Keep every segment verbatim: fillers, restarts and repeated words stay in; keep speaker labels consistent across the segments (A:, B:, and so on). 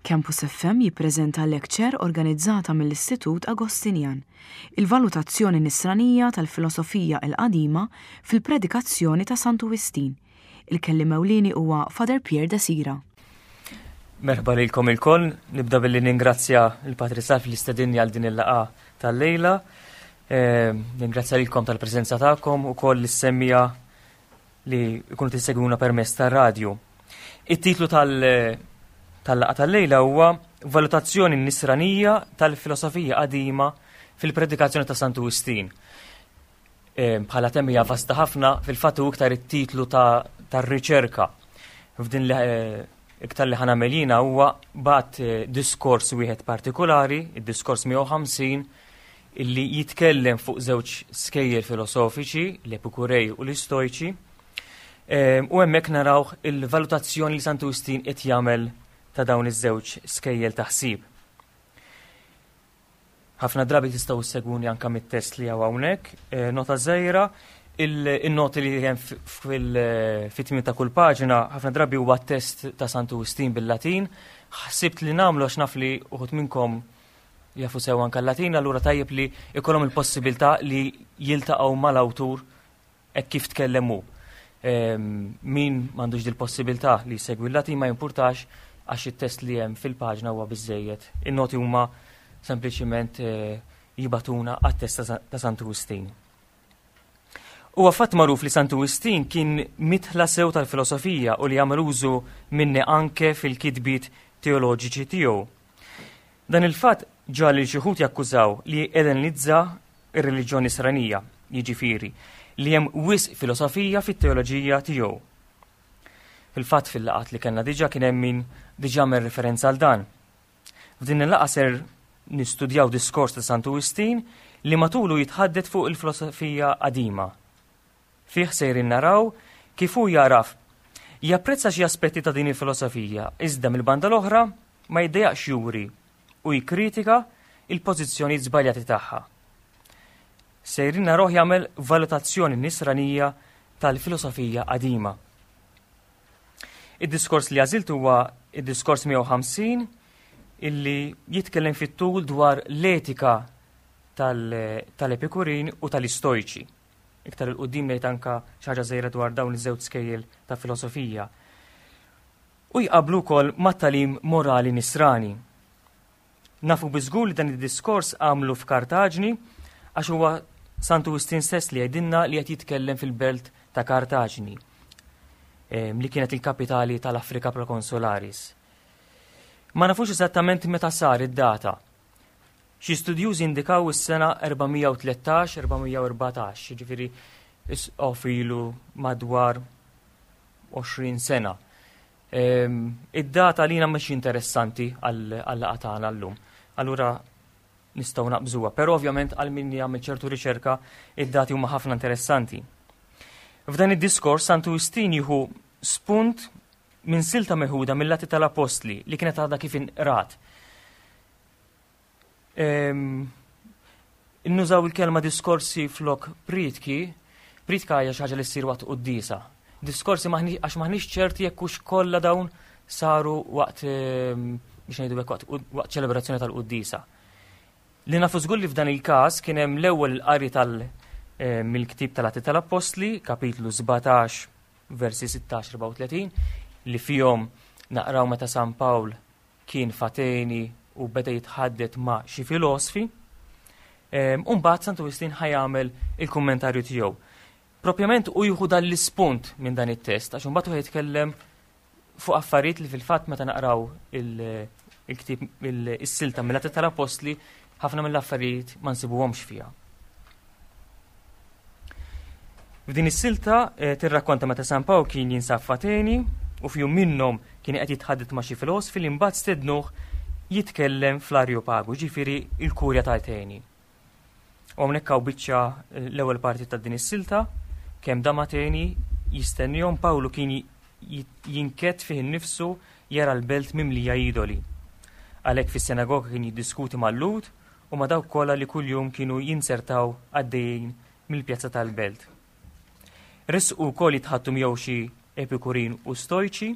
A: Campus F M jippreżenta lecture organizzata mill-Istitut Agostinjan, il-valutazzjoni nisranija tal-filosofija il-qadima fil-predikazzjoni ta' Santu Wistin. Il-kelliem ewlieni huwa Father Pierre Desira.
B: Merħba lilkom ilkoll, nibda billi ningrazzja l-Patri Salv li stedinni għal din il-laqgħa tal-lejla. Eh, ningrazzja lilkom tal-preżenza tagħkom u koll l-semmija li jkunu tissegwuna permezz tar-radju. It-titlu tal- tal-laqgħa tal-lejla huwa Valutazzjoni Nisranija tal-Filosofija Qadima fil-Predikazzjoni ta' Santu Wistin. Eh, bħala tema hija vasta ħafna, fil-fatt hu iktar it-titlu tar-riċerka. F'din li eh, iktar li ħa nagħmel jiena huwa bat eh, diskors wieħed partikolari, id-diskors mija u ħamsin, illi jitkellem fuq żewġ skejjel filosofiċi, l-Epikurej u l-Istojċi, u hemmhekk naraw il-valutazzjoni li Santu Wistin qed jagħmel ta' dawn iż-żewġ skejjel ta' ħsieb. Ħafna drabi tistgħu ssegwuni anke mit-test li hawn hawnhekk, eh, nota żgħira, il-noti li hemm fit-tmiem ta' kull paġna ħafna drabi huwa test ta' Santu Wistin bil-Latin. Ħsibt li nagħmlu għax naf li uħud minnkom jafu sew anke l-Latin, allura tajjeb li ikollhom il-possibilità li jiltaqgħu mal-awtur hekk kif tkellem hu. Min m'għandux dil-possibilità li jsegwi l-Latin ma jimpurtax, għax it-test li hemm fil-paġna huwa biżejjed. In-noti huma sempliċiment eh, jibagħtuna għat-test ta' Santu Wistin. Huwa fatt magħruf li Santu Wistin kien midħla sew tal-filosofija u li għamel użu minni anke fil-kitbiet teoloġiċi tiegħu. Dan il-fatt ġiegħel lil xi wħud jakkużaw li ellenizza ir-reliġjoni Nisranija, jiġifieri li hemm wisq filosofija fit-teoloġija tiegħu. Fil-fatt, fil-laqgħat li kellna diġà kien hemm min diġà għamel referenza għal dan. F'din il-laqgħa ser nistudjaw diskors ta' Santu Wistin li matulu jitħaddet fuq il-filosofija qadima. Fih sejrin naraw kif hu jaraf japprezza xi aspetti ta' din il-filosofija, iżda mill-banda l-oħra ma jiddejaqx juri u jikkritika il-pożizzjoni żbaljati tagħha. Sejrin narawh jagħmel valutazzjoni nisranija tal-filosofija qadima. Id-diskors li għażilt huwa id-diskors mija u ħamsin, illi jitkellem fit-tul dwar l-etika tal-Epikurin u tal-Istojċi. Iktar 'il quddiem ngħid anka xi ħaġa żgħira dwar dawn iż-żewġ skejjel ta' filosofija. U jqablu wkoll mat-tagħlim morali nisrani. Nafu biżgur li dan id-diskors għamlu f'Kartaġni, għax huwa Santu Wistin stess li jgħidilna li qed jitkellem fil-belt ta' Kartaġni li kienet il-kapitali tal-Afrika Proconsularis. Ma nafux eżattament meta sar id-data. Xi studjużi indikaw is-sena erba' mija u tlettax-erba' mija u erbatax, ġifieri ilu madwar għoxrin sena. Id-data lina mhux interessanti għal-laqgħa tagħna llum. Allura nistgħu naqbżuha, però ovvjament għal min jagħmel ċertu riċerka id-dati huma ħafna interessanti. F'dan id-diskors Santu Wistin jieħu spunt minn silta meħuda mill-Atti tal-Apostli li kienet għadha kif inqrat. Ehm, nużaw il-kelma diskorsi flok prietki, prietka hija xi ħaġa li ssir waqt quddiesa. Diskorsi għax maħniex ċerti jekk hux kollha dawn saru waqt, ehm, biex ngħidu waqt waqt ċelebrazzjoni tal-quddiesa. Li nafu żgur li f'dan il-każ kien hemm l-ewwel il-qari tal- Eh, mill-ktib tal-Atti tal-Apostli, kapitlu sbatax, versi sittax erbgħa u tletin, li fihom naqraw meta San Pawl kien f'Ateni u beda jitħaddet ma' xi filosfi. Umbagħad Santu Wistin ħa jagħmel il-kummentarju tiegħu. Propjament u jieħu dan l-ispunt minn dan it-test, għax imbagħad hu jitkellem fuq affarijiet li fil-fatt meta naqraw il-ktib, is-silta mill-Atti tal-Apostli, ħafna mill-affarijiet ma nsibuhomx fiha. F'din is-silta eh, tirrakkonta meta San Pawl kien jinsab f'Ateni u f'jum minnhom kien qed jitħaddet ma' xi filosfi li mbagħad stednuh jitkellem fl-Arjopagu, ġifieri il-kurja ta' Ateni. U hawnhekk hawn biċċa eh, l-ewwel parti ta' din is-silta: kemm dam Ateni jistennihom, Pawlu kien jinkedd fih innifsu jara l-belt mimlija idoli. Għalhekk fis-sinagoga kien jiddiskuti mal-Lhud u ma' dawk kollha li kuljum kienu jinzertaw għaddejjin mill-pjazza tal-belt. Resqu wkoll jitħaddtu miegħu xi Epikurin u Stojċi,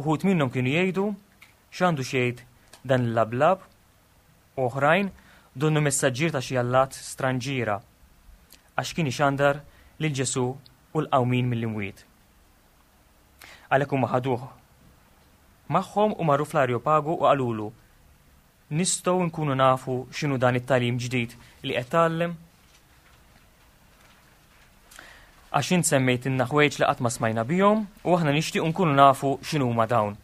B: uħud minnhom kienu jgħidu X'għandu xi jgħid dan il-lablab? U oħrajn, donnu messaġġier ta' xi allat stranġiera, għax kien ixandar lil Ġesù u l-qawmien mill-imwiet. Għalhekk huma ħaduh magħhom u marru fl-Areopagu u qalulu, nistgħu nkunu nafu x'inhu dan it-tagħlim ġdid li qed tgħallem? Għax int semmejtilna ħwejġ li qatt ma smajna bihom u aħna nixtiequ nkunu nafu x'inhuma dawn.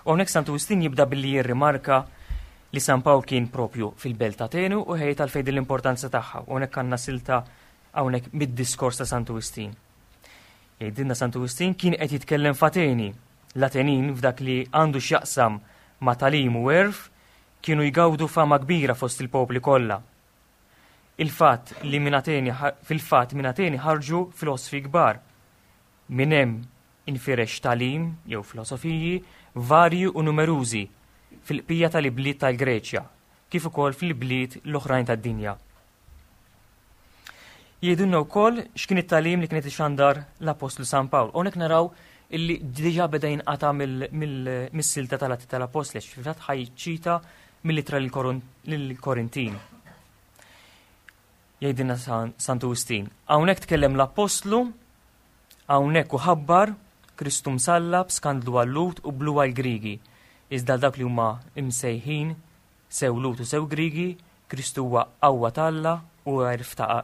B: U hawnhekk Santu Wistin jibda billi jirrimarka li San Pawl kien propju fil-belt ta' Ateni u ħejt għalfejn din l-importanza tagħha. U hawnhekk għandna silta hawnhekk mid-diskors ta' Santu Wistin. Jgħidilna Santu Wistin kien qed jitkellem f'Ateni. L-Atenin f'dak li għandu x'jaqsam ma' tagħlim u għerf kienu jgawdu fama kbira fost il-popli kollha. Il-fatt li minn Ateni fil-fatt minn Ateni ħarġu filosfi kbar. Minn hemm infirex tagħlim jew filosofiji varji u numerużi fil-qbija tal-ibliet tal-Greċja, kif ukoll fil-bliet l-oħrajn tad-dinja. Jgħidulna wkoll x'kien it-tagħlim li kienet ixandar l-Apostlu San Pawl. Hawnhekk naraw illi diġà beda jinqata' mis-silta tal-Atti tal-Apostli, għax fil-fatt ħajċita mill-ittra lill-Korintin. Jgħidilna Santu Wistin, hawnhekk tkellem l-Apostlu, hawnhekk u ħabbar Kristu msallab, skandlu għal-Lhud u blu għall-Grigi. Iżda dak li huma imsejħin sew Lhud u sew Grigi, Kristu huwa qawwa t'Alla u għerf ta'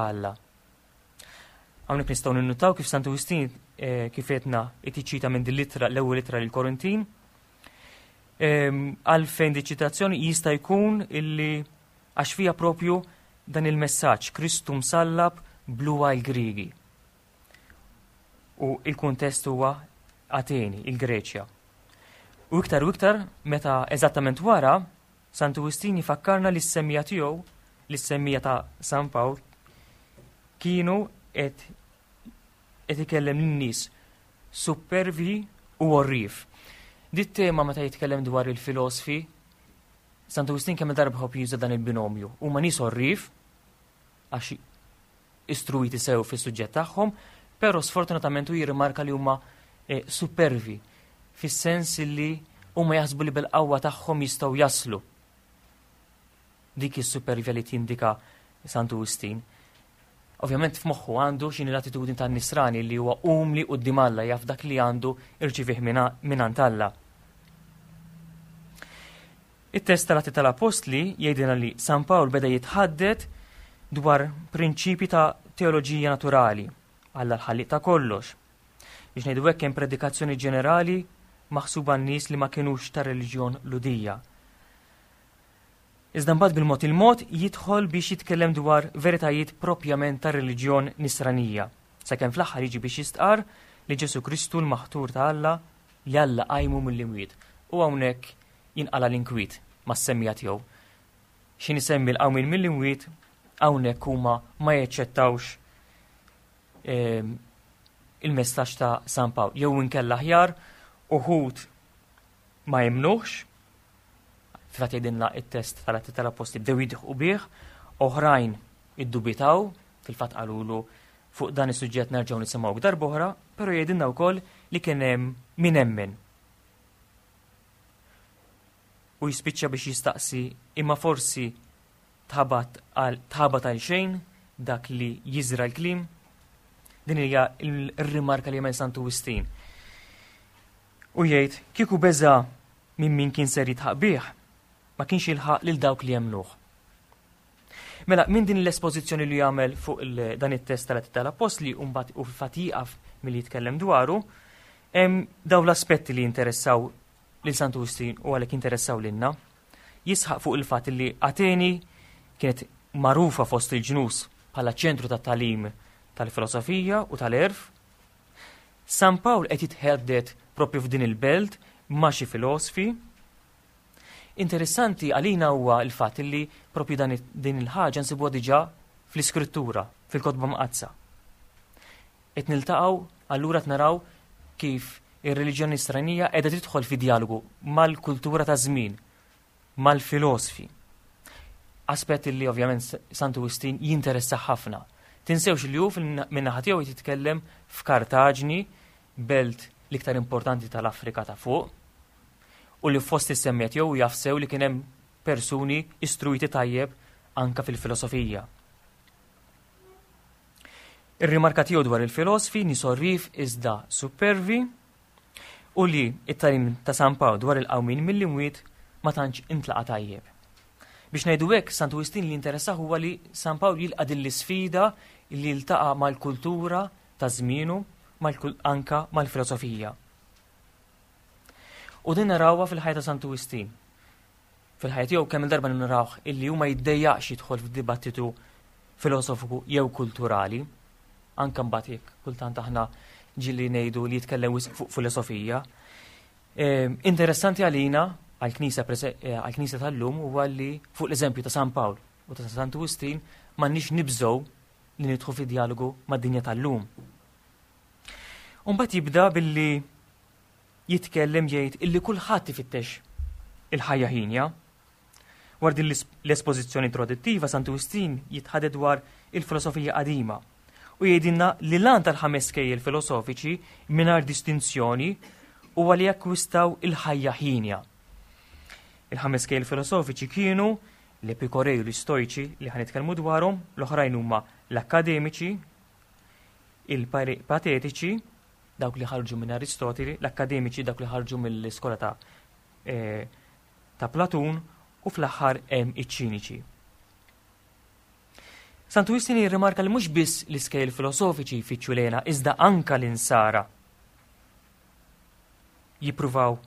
B: Alla. Hawnhekk nistgħu ninnutaw kif Santu Wistin, eh, kif għedna itiċita minn din l-ittra, l-ewwel ittra lill-Korintin. Ehm, għalfejn di ċitazzjoni jista' jkun illi għax fija propju dan il-messaġġ Kristu msallab blu għall-Grigi. U il-kuntest huwa Ateni, il-Greċja. U iktar u iktar meta eżattament wara Santu Wistin jifakkarna li s-semmija tiegħu, li s-semmija ta' San Pawl, kienu qed qed ikellem lin-nies supervi u għorrief. Dit tema meta jitkellem dwar il-filosfi, Santu Wistin kemm darba ħobb juża dan il-binomju. Huma nies għorrief għax istruiti sew fis-suġġett tagħhom, però sfortunatament hu jirrimarka li huma, eh, supervi fis-sens li huma jaħsbu li bil-qawwa tagħhom jistgħu jaslu. Dik is-supervja li tindika Santu Wistin. Ovvjament f'moħħu għandu x'inhi l-attitudni tan-nisrani li huwa umli quddiem Alla, jaf dak li għandu irċivih mingħand Alla. It-test tal-Atti tal-Apostli jgħidilna li San Pawl beda jitħaddet dwar prinċipji ta' teoloġija naturali, Alla l-ħalliq ta' kollox. Biex ngħidu hekk hemm predikazzjoni ġenerali maħsuba n-nies li ma kinux ta' reliġjon Lhudija. Iżda mbagħad bil-mod il-mod jidħol biex jitkellem dwar veritajiet propjament ta' reliġjon nisranija, sakemm fl-aħħar jiġi biex jistqar li Ġesu Kristu l-maħtur ta' Alla li Alla qajmu mill-imwiet. U hawnhekk jinqala l-inkwiet mas-semmija tiegħu. X'in isemmi l-qawmien mill-imwiet hawnhekk huma ma jaċċettawx, ehm, il-messaġġ ta' San Pawl. Jew inkella aħjar uħud ma jemnuhx, fil-fatt jgħidilna it-test tal-Atti tal-Apostli bdew jidħqu bih, oħrajn iddubitaw, fil-fatt qalulu fuq dan is-suġġett nerġgħu nisimgħu darb'oħra, però jgħidilna wkoll li kien hemm min emmen. U jispiċċa biex jistaqsi imma forsi tħabat għal tħabat għal xejn dak li jiżra l-kliem. Din hija r-rimarka li jagħmel Santu Wistin. U jgħid kieku beża' minn min kien ser jitħaq bih, ma kienx jilħaq lil dawk li jemmnuh. Mela, minn din l-espożizzjoni li jagħmel fuq il-, dan it-test tal-Atti tal-Apostli u mbagħad u fil-fatt jieqaf milli jitkellem dwaru, hemm dawn l-aspetti li jinteressaw lil Santu Wistin u għalhekk jinteressaw lilna. Jisħaq fuq il-fatt li Ateni kienet magħrufa fost il-ġnus bħala ċentru tat-tagħlim tal-filosofija u tal-għerf. San Pawl qed jitħeddet propju f'din il-belt ma' xi filosfi. Interessanti għalina huwa l-fatt li propju dan it-, din il-ħaġa nsibuha diġà fl-Iskrittura, fil-Kotba Mqaddsa. Qed niltaqgħu allura qed naraw kif ir-reliġjoni nisranija qiegħda tidħol fi dialogu mal-kultura ta' żmien, mal-filosfi. Aspett li ovvjament Santu Wistin jinteressa ħafna. Tinsewx li hu fil-, min-naħa tiegħu jitkellem f'Kartaġni, belt l-iktar importanti tal-Afrika ta' fuq, U li fost is-semmiegħa tiegħu jaf sew li kien hemm persuni istruiti tajjeb anka fil-filosofija. Ir-rimarka tiegħu dwar il-filosofi nies għorrief iżda supervi u li it-tagħlim ta' San Pawl dwar il-qawmin mill-imwiet ma tantx intlaqa tajjeb. Biex ngħidu hekk, Santu Wistin li interessah huwa li San Pawl jilqa' din l-isfida li jiltaqa' mal-kultura ta' żmienu anka mal-filosofija. U din narawha fil-ħajja ta' Santu Wistin. Fil-ħajja tiegħu kemm il-darba narawh illi huma jiddejjaqx jidħol f'dibattitu filosofiku jew kulturali. Anka mbagħad jekk kultant aħna ġieli ngħidu li jitkellem wisq fuq filosofija. Ehm, interessanti għalina għall-Knisja eh, għall-Knisja tal-lum huwa li fuq l-eżempju ta' San Pawl u ta' Santu Wistin m'għandniex nibżgħu li nidħlu fi dialogu mad-dinja tal-lum. Mbagħad jibda billi jitkellem jgħid illi kulħadd ifittex il-ħajja ħinja. Wara din l-espożizzjoni introduttiva Santu Wistin jitħaddet dwar il-filosofija qadima u jgħidilna li l-għan tal-ħames skejjel filosofiċi mingħajr distinzjoni huwa li jakkwistaw il-ħajja ħinja. Il-ħames skejjel filosofiċi kienu l-Epikorej u l-Istojċi li ħa nitkellmu dwarhom, l-oħrajn huma l-Akkademiċi, il-Patetiċi, dawk li ħarġu minn Aristotili, l-Akkademiċi dawk li ħarġu mill-iskola ta' eh, ta' Platun u fl-aħħar hemm iċ-Ċiniċi. Santu Wistin jirrimarka li mhux biss l-iskejjel filosofiċi jfittxu l-hena, iżda anka l-insara jippruvaw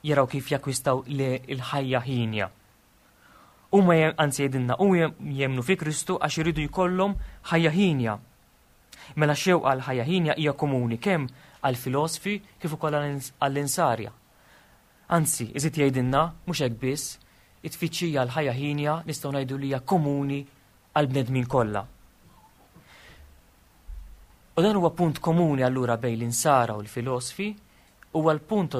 B: jaraw kif jakkwistaw l-ħajja ħinja. Huma anzi jgħidilna u jemmnu fi Kristu għax iridu jkollhom ħajja ħinja. Mela xewqa għal ħajja ħinja hija komuni kemm għal filosofi kif ukoll għall-insarja. Anzi, iżid jgħidilna mhux hekk biss, it-tfittxija għal ħajja ħinja nistgħu ngħidu li hija komuni għal bnedmin kollha. U dan huwa punt komuni allura bejn l-insara u l-filosofi, huwa l-punt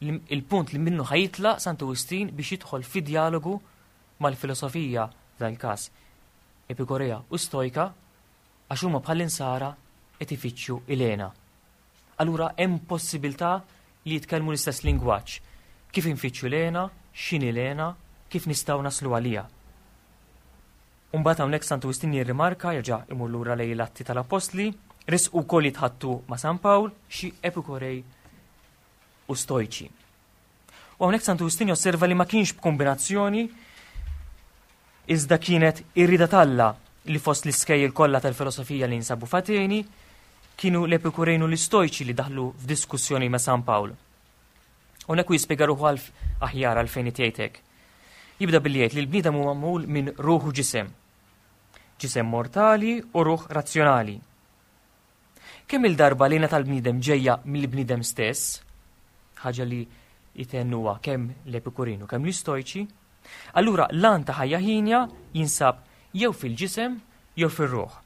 B: il-punt li minnu ħa jitlaq Santu Wistin biex jidħol fi dialogu mal-filosofija f'dan il-każ Epikorea u Stojka għax huma bħall-insara qed ifittxu l-hena. Allura hemm possibilità li jitkellmu l-istess lingwaġġ. Kif infittxu l-hena, x'inhi l-hena, kif nistgħu naslu għaliha. Umbagħad hawnhekk Santu Wistin jirrimarka jerġa' imur lura lejn l-Atti tal-Appostli, resqu wkoll jitħaddtu ma' San Pawl xi Epikorej u Stojċi. U hawnhekk Santu Wistin josserva li ma kienx b'kombinazzjoni iżda kienet ir-rieda t'Alla li fost l-iskejjel kollha tal-filosofija li jinsabu f'Ateni kienu l-Epikurejn u l-Istojċi li daħlu f'diskussjoni ma' San Pawl. Hawnhekk hu jispjega ruħu għalf aħjar għalfejn jgħid hekk. Jibda billi jgħid li l-bniedem huwa magħmul minn ruħ u ġisem. Ġisem mortali u ruħ razzjonali. Kemm il-darba l-hena tal-bniedem ġejja mill-bniedem stess, ħaġa li jtennuha kemm l-Epikurin u kemm l-Istojċi, allura l-għan ta' ħajja ħinja jinsab jew fil-ġisem jew fir-ruħ.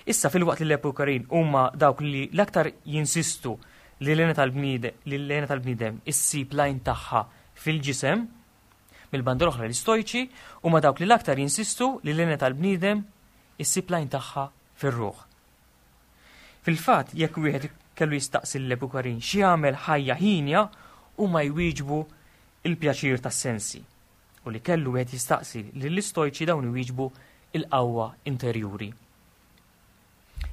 B: Issa filwaqt li l-Epikurin huma dawk li l-aktar jinsistu li l-hena tal-bniedem li l-hena tal-bniedem issib l-għajn tagħha fil-ġisem, mill-banda l-oħra l-Istojċi huma dawk li l-aktar jinsistu li l-hena tal-bniedem issib l-għajn tagħha fir-ruħ. Fil-fatt, jekk wieħed kellu jistaqsi l-Epikurin x'jagħmel ħajja ħinja, huma jwieġbu il-pjaċir tas-sensi. U li kellu wieħed jistaqsi lill-Istojċi dawn iwieġbu il-qawwa interjuri.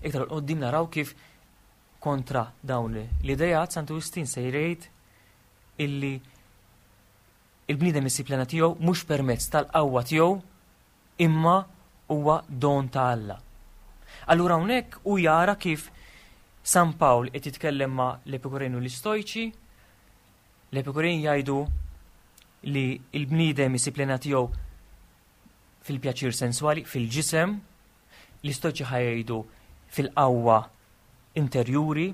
B: Iktar qoddim naraw kif kontra dawn l-idejat Santu Wistin se jgħid illi il-bniedem isib l-hena tiegħu mhux permezz tal-qawwa tiegħu imma huwa don ta' Alla. Allura hawnhekk hu jara kif San Pawl qed jitkellem ma' l-Epikurin u l-Istojċi, l-Epikurin jgħidu li l-bniedem isib l-hena tiegħu fil-pjaċir senswali, fil-ġisem, l-Istojċi ħa jgħidu fil-qawwa interjuri,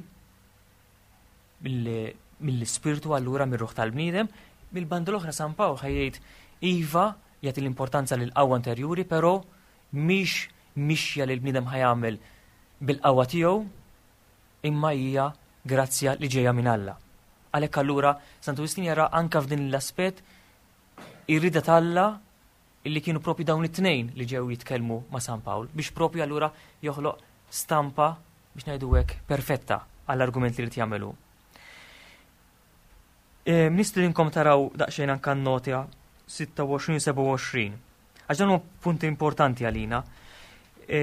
B: mill-ispirtu allura mir-ruħ tal-bniedem, mill-banda l-oħra San Pawl ħa jgħid iva jagħti l-importanza lil qawwa interjuri, però mhix mixja li l-bniedem ħa jagħmel bil-qawwa tiegħu, imma hija grazzja li ġejja minn Alla. Għalhekk allura Santu Wistin jara anka f'din l-aspett ir-rieda t'Alla illi kienu propju dawn it-tnejn li ġew jitkellmu ma' San Pawl biex propju allura joħloq stampa biex ngħidu hekk perfetta għall-argument li rid jagħmelu. E, Nistedinkom taraw daqsxejn anka nota sitta u għoxrin sebgħa u għoxrin. Għax dan huwa punti importanti għalina. E,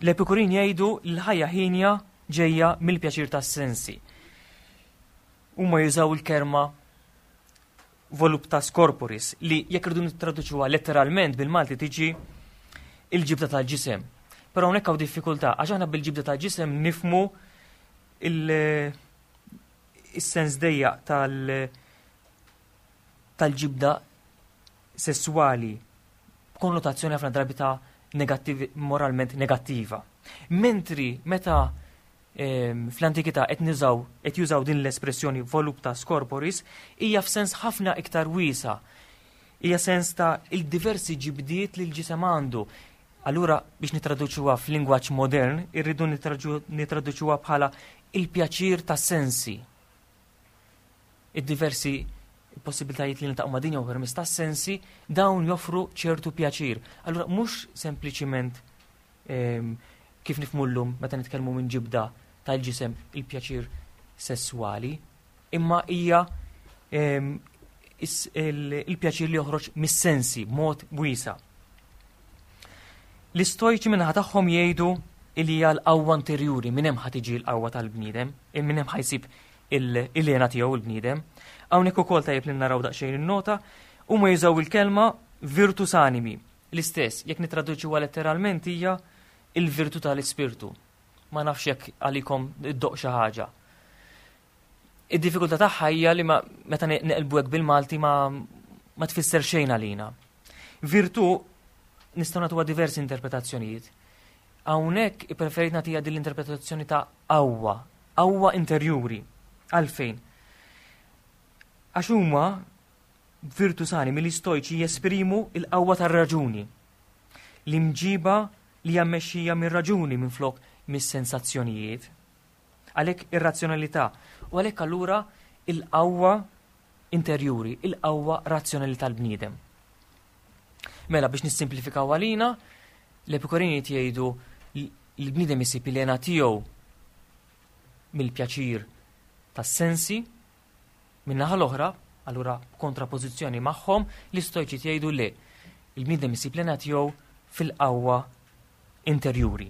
B: L-Epikurin jgħidu l-ħajja ħienja ġejja mill-pjaċir tas-sensi. Huma jużaw il-kelma voluptas corporis, li jekk irridu nittraduċuha letteralment bil-Malti tiġi il-ġibda tal-ġisem. Però hawnhekk hawn diffikultà, għax aħna bil-ġibda tal-ġisem nifhmu il-sens dejjaq tal- tal-ġibda sessuali b'konnotazzjoni ħafna drabi ta' negattivi, moralment negattiva. Mentri meta ehm, fl-antikità qed niżaw qed jużaw din l-espressjoni voluptas corporis, hija f'sens ħafna iktar wiesa'. Hija sens ta' il-diversi ġibdiet li l-ġisem għandu. Allura, biex nitraduċuha f'lingwaġġ modern, irridu nitraduċuha bħala il-pjaċir ta' sensi. Id-diversi possibilitajiet li niltaqgħu ma' dinja u permezz ta' sensi, dawn joffru ċertu pjaċir. Allura mhux sempliċiment ehm, kif nifhmu llum meta nitkellmu minn ġibda tal-ġisem, il-pjaċir sessuali, imma hija ehm, il-pjaċir li joħroġ mis-sensi b'mod wiesa'. L-Istojċi min-naħa tagħhom jgħidu li hija l-qawwa interjuri, minn hemm ħa tiġi l-qawwa tal-bniedem, minn hemm ħa jsib il-hena tiegħu il-bniedem. Hawnhekk ukoll tajjeb li naraw daqsxejn in-nota, huma jużaw il-kelma virtus animi. L-istess, jekk nitraduċuha letteralment, hija il-virtu tal-ispirtu. Ma nafx jekk għalikom iddoqq xi ħaġa. Id-diffikultà tagħha hija li meta neqilbu hekk bil-Malti ma ma tfisser xejn għalina. Virtu nistgħu nagħtuha diversi interpretazzjonijiet. Hawnhekk ippreferit nagħtiha din l-interpretazzjoni ta' qawwa, qawwa interjuri. Għalfejn? Għax huma, virtus animi, l-Istojċi jesprimu il-qawwa tar-raġuni. L-imġiba li hija mmexxija mir-raġuni minflok mis-sensazzjonijiet. Għalhekk ir-razzjonalità u għalhekk allura il-qawwa interjuri, il-qawwa razzjonali tal-bniedem. Mela, biex nissimplifikaw għalina, l-Epikurini jgħidu li l-bniedem isib il-hena tiegħu mill-pjaċir tas-sensi. Min-naħa l-oħra, allura kontrapożizzjoni magħhom, l-Istojċi jgħidu li il-bniedem isib l-hena tiegħu fil-qawwa interjuri.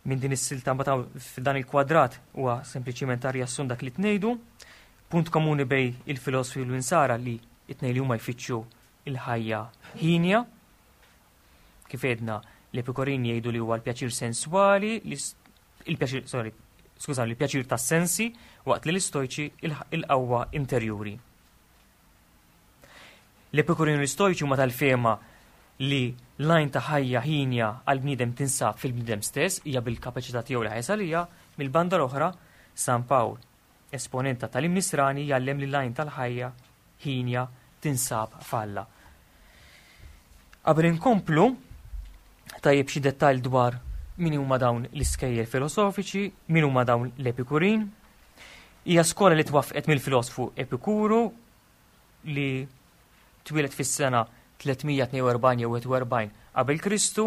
B: Minn din is-silta mbagħad f'dan il-kwadrat huwa sempliċiment riassun dak li tnejdu, punt komuni bejn il-filosofi u l-Insara li it-tnejn li huma jfittxu il-ħajja ħienja. Kif għedna, l-Epikurini jgħidu li huwa l-pjaċir senswali, il-pjaċir, sorry, skużani, il-pjaċir tas-sensi, waqt li l-Istojċi il-qawwa interjuri. L-Epikurini u l-Istojċi huma tal-fehma li l-għajn ta' ħajja ħienja għal-bniedem tinsab fil-bniedem stess, hija bil-kapaċità tiegħu li ħa jasal għaliha. Mill-banda l-oħra, San Pawl, esponent ta' tagħlim nisrani, jgħallem li l-għajn tal-ħajja ħienja tinsab f'Alla. Qabel inkomplu, tajjeb xi dettall dwar min huma dawn l-iskejjel filosofiċi, min huma dawn l-Epikurin. Hija skola li twaffqet mill-filosfu Epikuru, li twieled fis-sena tliet mija tnejn u erbgħin jew wieħed u erbgħin qabel Kristu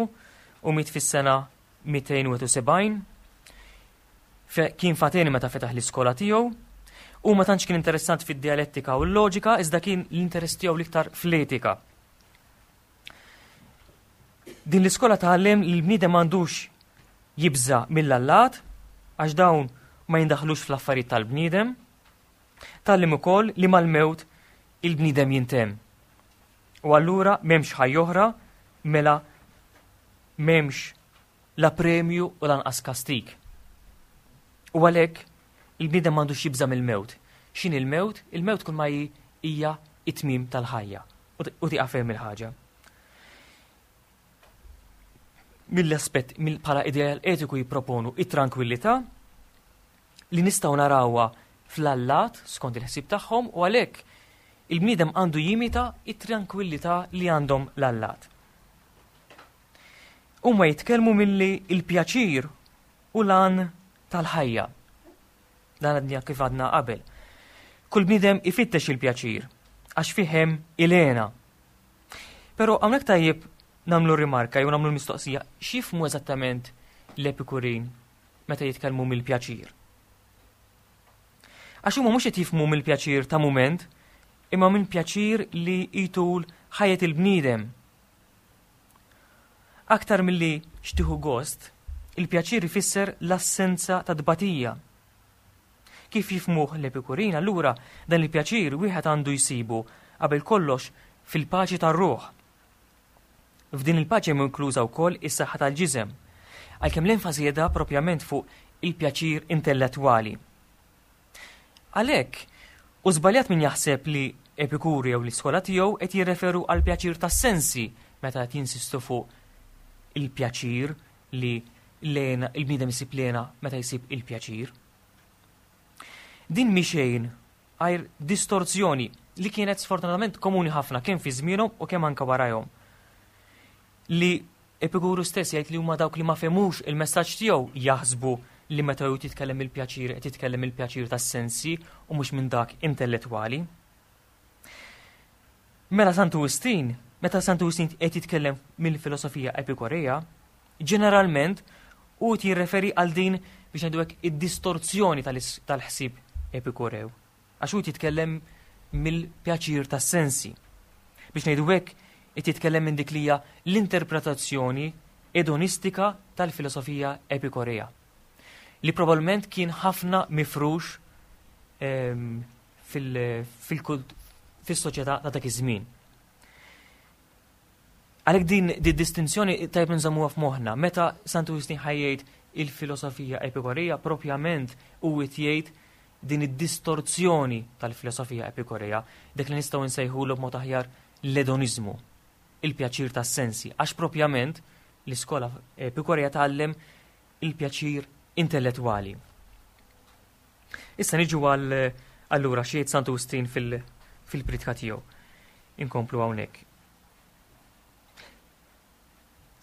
B: u miet fis-sena mitejn u wieħed u sebgħin. Kien f'Ateni meta fetaħ l-iskola tiegħu u ma tantx kien interessant fid-dialettika u l-loġika, iżda kien l-interess tiegħu l-iktar fl-etika. Din l-iskola tgħallem li l-bniedem m'għandux jibża mill-allat għax dawn ma jindaħlux fl-affarijiet tal-bniedem. Tgħallem ukoll li mal-mewt il-bniedem jintemm. U allura m'hemmx ħajja oħra, mela m'hemmx la premju u lanqas kastik. U għalhekk il-bniedem m'għandux jibża mill-mewt. X'inhi il-mewt? Il-mewt kull ma hija it-tmiem tal-ħajja. U tieqaf hemm il-ħaġa. Mill-aspett bħala ideal etiku jipproponu it-tranquillità li nistgħu narawha fl-allat skont il-ħsieb tagħhom, u għalhekk il-bniedem għandu jimita it-tranquillità li għandhom l-allat. Huma jitkellmu milli il-pjaċir u l-għan tal-ħajja. Dan għadna kif għadna qabel. Kull bniedem ifittex il-pjaċir għax fih hemm il-hena. Però hawnhekk tajjeb nagħmlu rimarka jew nagħmlu mistoqsija: x'jifhmu eżattament l-Epikurin meta jitkellmu mill-pjaċir? Għax huma mhux qed jifhmu mill-pjaċir ta' mument, imma minn pjaċir li jtul ħajjet il-bniedem. Aktar milli x'tieħu gost, il-pjaċir ifisser l-assenza ta' tbatija. Kif jifhmuh l-Epikurin, allura dan il-pjaċir wieħed għandu jsibu qabel kollox fil-paċi tar-ruħ. F'din il-paċi hemm inkluża wkoll is-saħħa tal-ġisem, għalkemm l-enfasi qiegħda propjament fuq il-pjaċir intellettwali. Għalhekk, u żbaljat min jaħseb li Epikuru jew l-iskola tiegħu qed jirreferu għal pjaċir tas-sensi meta qed jinsistu fuq il-pjaċir li l-hena, il-bniedem isib l-hena meta jsib il-pjaċir. Din mhi xejn għajr distorzjoni li kienet sfortunatament komuni ħafna kemm fi żmienhom u kemm anke warajhom. Li Epikuru stess jgħid li huma dawk li ma fehmux il-messaġġ tiegħu jaħsbu li meta hu jitkellem il-pjaċir qed jitkellem il-pjaċir tas-sensi u mhux minn dak intellettwali. Mela Santu Wistin, meta Santu Wistin qed jitkellem mill-filosofija Epikurea, ġeneralment hu jirreferi għal din biex ngħidu hekk id-distorzjoni tal-ħsieb Epikurew. Għax hu jitkellem mill-pjaċir tas-sensi. Biex ngħidu hekk qed jitkellem minn dik li hija l-interpretazzjoni edonistika tal-filosofija Epikurea, li probabbilment kien ħafna mifrux ehm, fis-soċjetà ta' dak iż-żmien. Għalhekk din di distinzjoni tajb nżammuha f'moħħna, meta Santu Wistin ħa jgħid il-filosofija Epikurea, propjament hu jgħid din id-distorzjoni tal-filosofija Epikurea, dik li nistgħu nsejħulu b'mod aħjar l-edoniżmu, il-pjaċir tas-sensi, għax propjament l-iskola Epikurea tgħallem il-pjaċir intellettwali. Issa niġu għal allura xi Santu Wistin fil-pritka tiegħu. Inkomplu hawnhekk.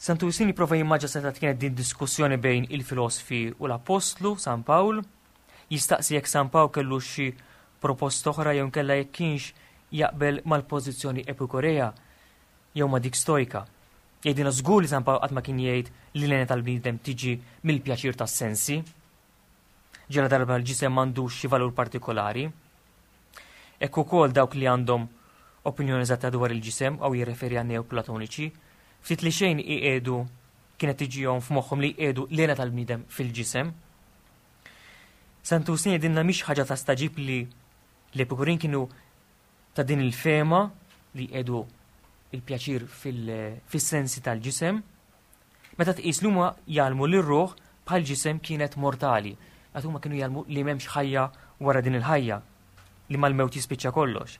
B: Santu Wistin jipprova jimmaġina seta' kienet din diskussjoni bejn il-filosofi u l-Apostlu San Pawl, jistaqsi jekk San Pawl kellu xi proposta oħra jew nkella jekk kienx jaqbel mal-pożizzjoni Epikurea jew ma' dik Stojka. Jgħidilna żgur li San Pawl qatt ma kien jgħid li l-hena tal-bniedem tiġi mill-pjaċir tas-sensi. Ġela darba l-ġisem m'għandux xi valur partikolari. Hekk ukoll dawk li għandhom opinjoni eżatta dwar il-ġisem aw jirreferi għan neoplatoniċi, ftit li xejn iqiegħdu kienet tiġihom f'moħħhom li jqiegħdu l-hena tal-bniedem fil-ġisem. Santu Wistin jgħidilna mhix ħaġa ta' staġib li l-Epikurin kienu ta' din il-fema li jqiegħdu il-pjaċir fil-sensi tal-ġisem, meta tqis li huma jgħallmu li r-ruħ bħal ġisem kienet mortali, għad huma kienu jgħallmu li m'hemmx ħajja wara din il-ħajja, li mal-mewt jispiċċa kollox.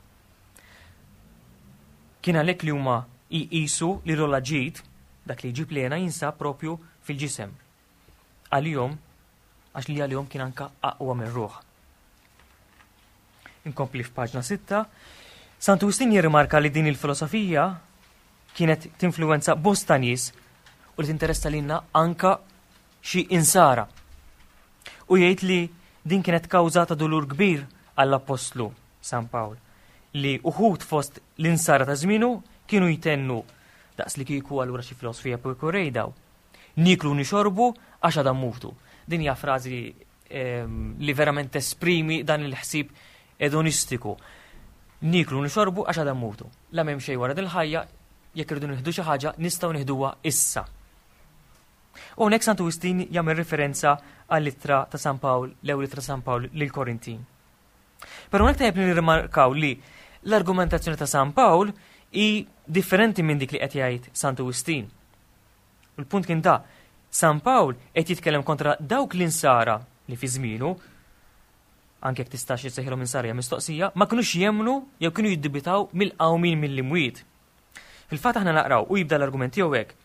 B: Kien għalhekk li huma jqisu li l-ogħla ġid, dak li jġib l-hena, jinsab propju fil-ġisem. Għalihom, għax li għalihom kien anka aqwa mir-ruħ. Inkompli f'paġna sitta, Santu Wistin jirrimarka li din il-filosofija kienet tinfluwenza bosta nies u li tinteressa lilna anka xi insara. U jgħid li din kienet kawża ta' dulur kbir għall-Apostlu San Pawl, li uħud fost l-insara ta' żmienu kienu jtennu daqs li kieku allura xi filosofija Epikurej daw. Niklu nixorbu għax għadha mmutu. Din hija frażi, ehm, li verament tesprimi dan il-ħsieb edonistiku. Niklu nixorbu għax għadha mmutu. La m'hemm xejn wara din il-ħajja, jekk irridu nieħdu xi ħaġa nistgħu nieħduha issa. U hawnhekk Santu Wistin jagħmel referenza għall-ittra ta' San Pawl, l-ewwel ittra San Pawl lill-Korintin. Però hawnhekk tajjeb li nirrimarkaw li l-argumentazzjoni ta' San Pawl hi differenti minn dik li qed jgħid Santu Wistin. U l-punt kien da, San Pawl qed jitkellem kontra dawk l-insara li fi żmienu, anke jekk tistax issejħilhom insara hija mistoqsija, ma kinux jemmnu jew kienu jiddubitaw mill-qawmin mill-imwiet. Fil-fatt aħna naqraw u jibda l-argument tiegħu hekk,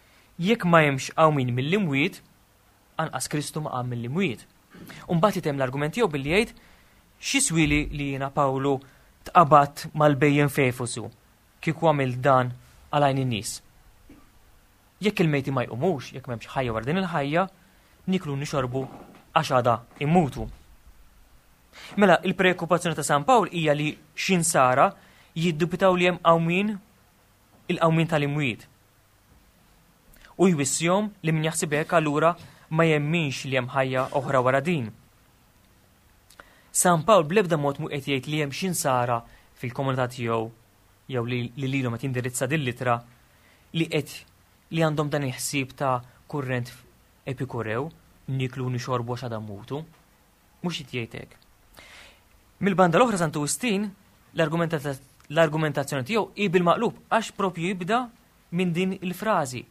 B: jekk ma hemmx qawmin mill-imwiet, anqas Kristu ma qam mill-imwiet. U mbagħad jitem l-argument tiegħu billi jgħid x'jiswili li jiena Pawlu tqabadt mal-bhejjem f'Efesu kieku għamil dan għal għajn in-nies. Jekk il-mejti ma jqumux, jekk m'hemmx ħajja wara din il-ħajja, niklu nixorbu għax għada immutu. Mela, il-preokkupazzjoni ta' San Pawl hija li xi nsara jiddubitaw li hemm qawmin, il-qawmin tal-imwiet. U jwissihom li min jaħseb hekk allura ma jemminx li hemm ħajja oħra wara din. San Pawl bl-ebda mod mhu qed jgħid li hemm xi nsara fil-komunità tiegħu jew li lilhom qed jindirizza din l-ittra li qed li għandhom dan il-ħsieb ta' kurrent epikurew, niklu nixorbu għax għada mmutu. Mhux qed jgħid hekk. Mill-banda l-oħra Santu Wistin l-argumentazzjoni tiegħu hi bil-maqlub għax propju jibda minn din il-frażi.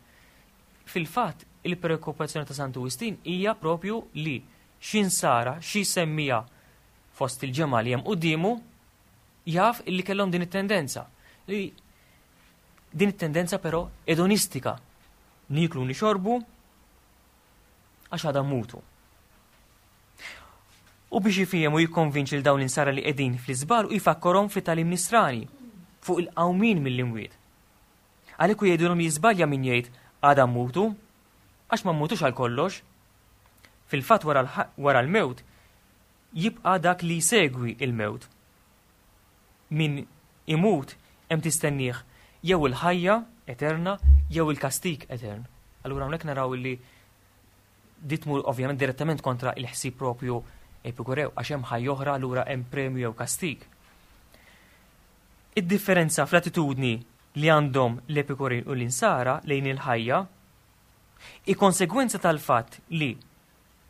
B: Fil-fatt, il-preokkupazzjoni ta' Santu Wistin hija propju li xi nsara, xi semmija fost il-ġemgħa li hemm quddiemu jaf illi kellhom din it-tendenza. Li din it-tendenza però edonistika. Niklu nixorbu għax għada mmutu. U biex jifhem u jikkonvinċi l dawn l-insara li qegħdin fl-iżbal u jfakkarhom fit-tagħlim nisrani fuq il-qawmin mill-imwiet. Għalhekk u jgħidulhom jiżbalja min jgħid għada mmutu, għax ma mmutux għal kollox. Fil-fatt wara l-mewt jibqa' dak li jsegwi il-mewt. Min imut hemm tistennieh jew il-ħajja eterna jew il-kastik etern. Allura hawnhekk naraw li di tmur ovvjament direttament kontra il-ħsieb propju epikurew għax hemm ħajja oħra allura hemm premju jew kastik. Id-differenza fl-attitudni li għandhom l-epikurin u l-insara lejn il-ħajja i konsegwenza tal-fatt li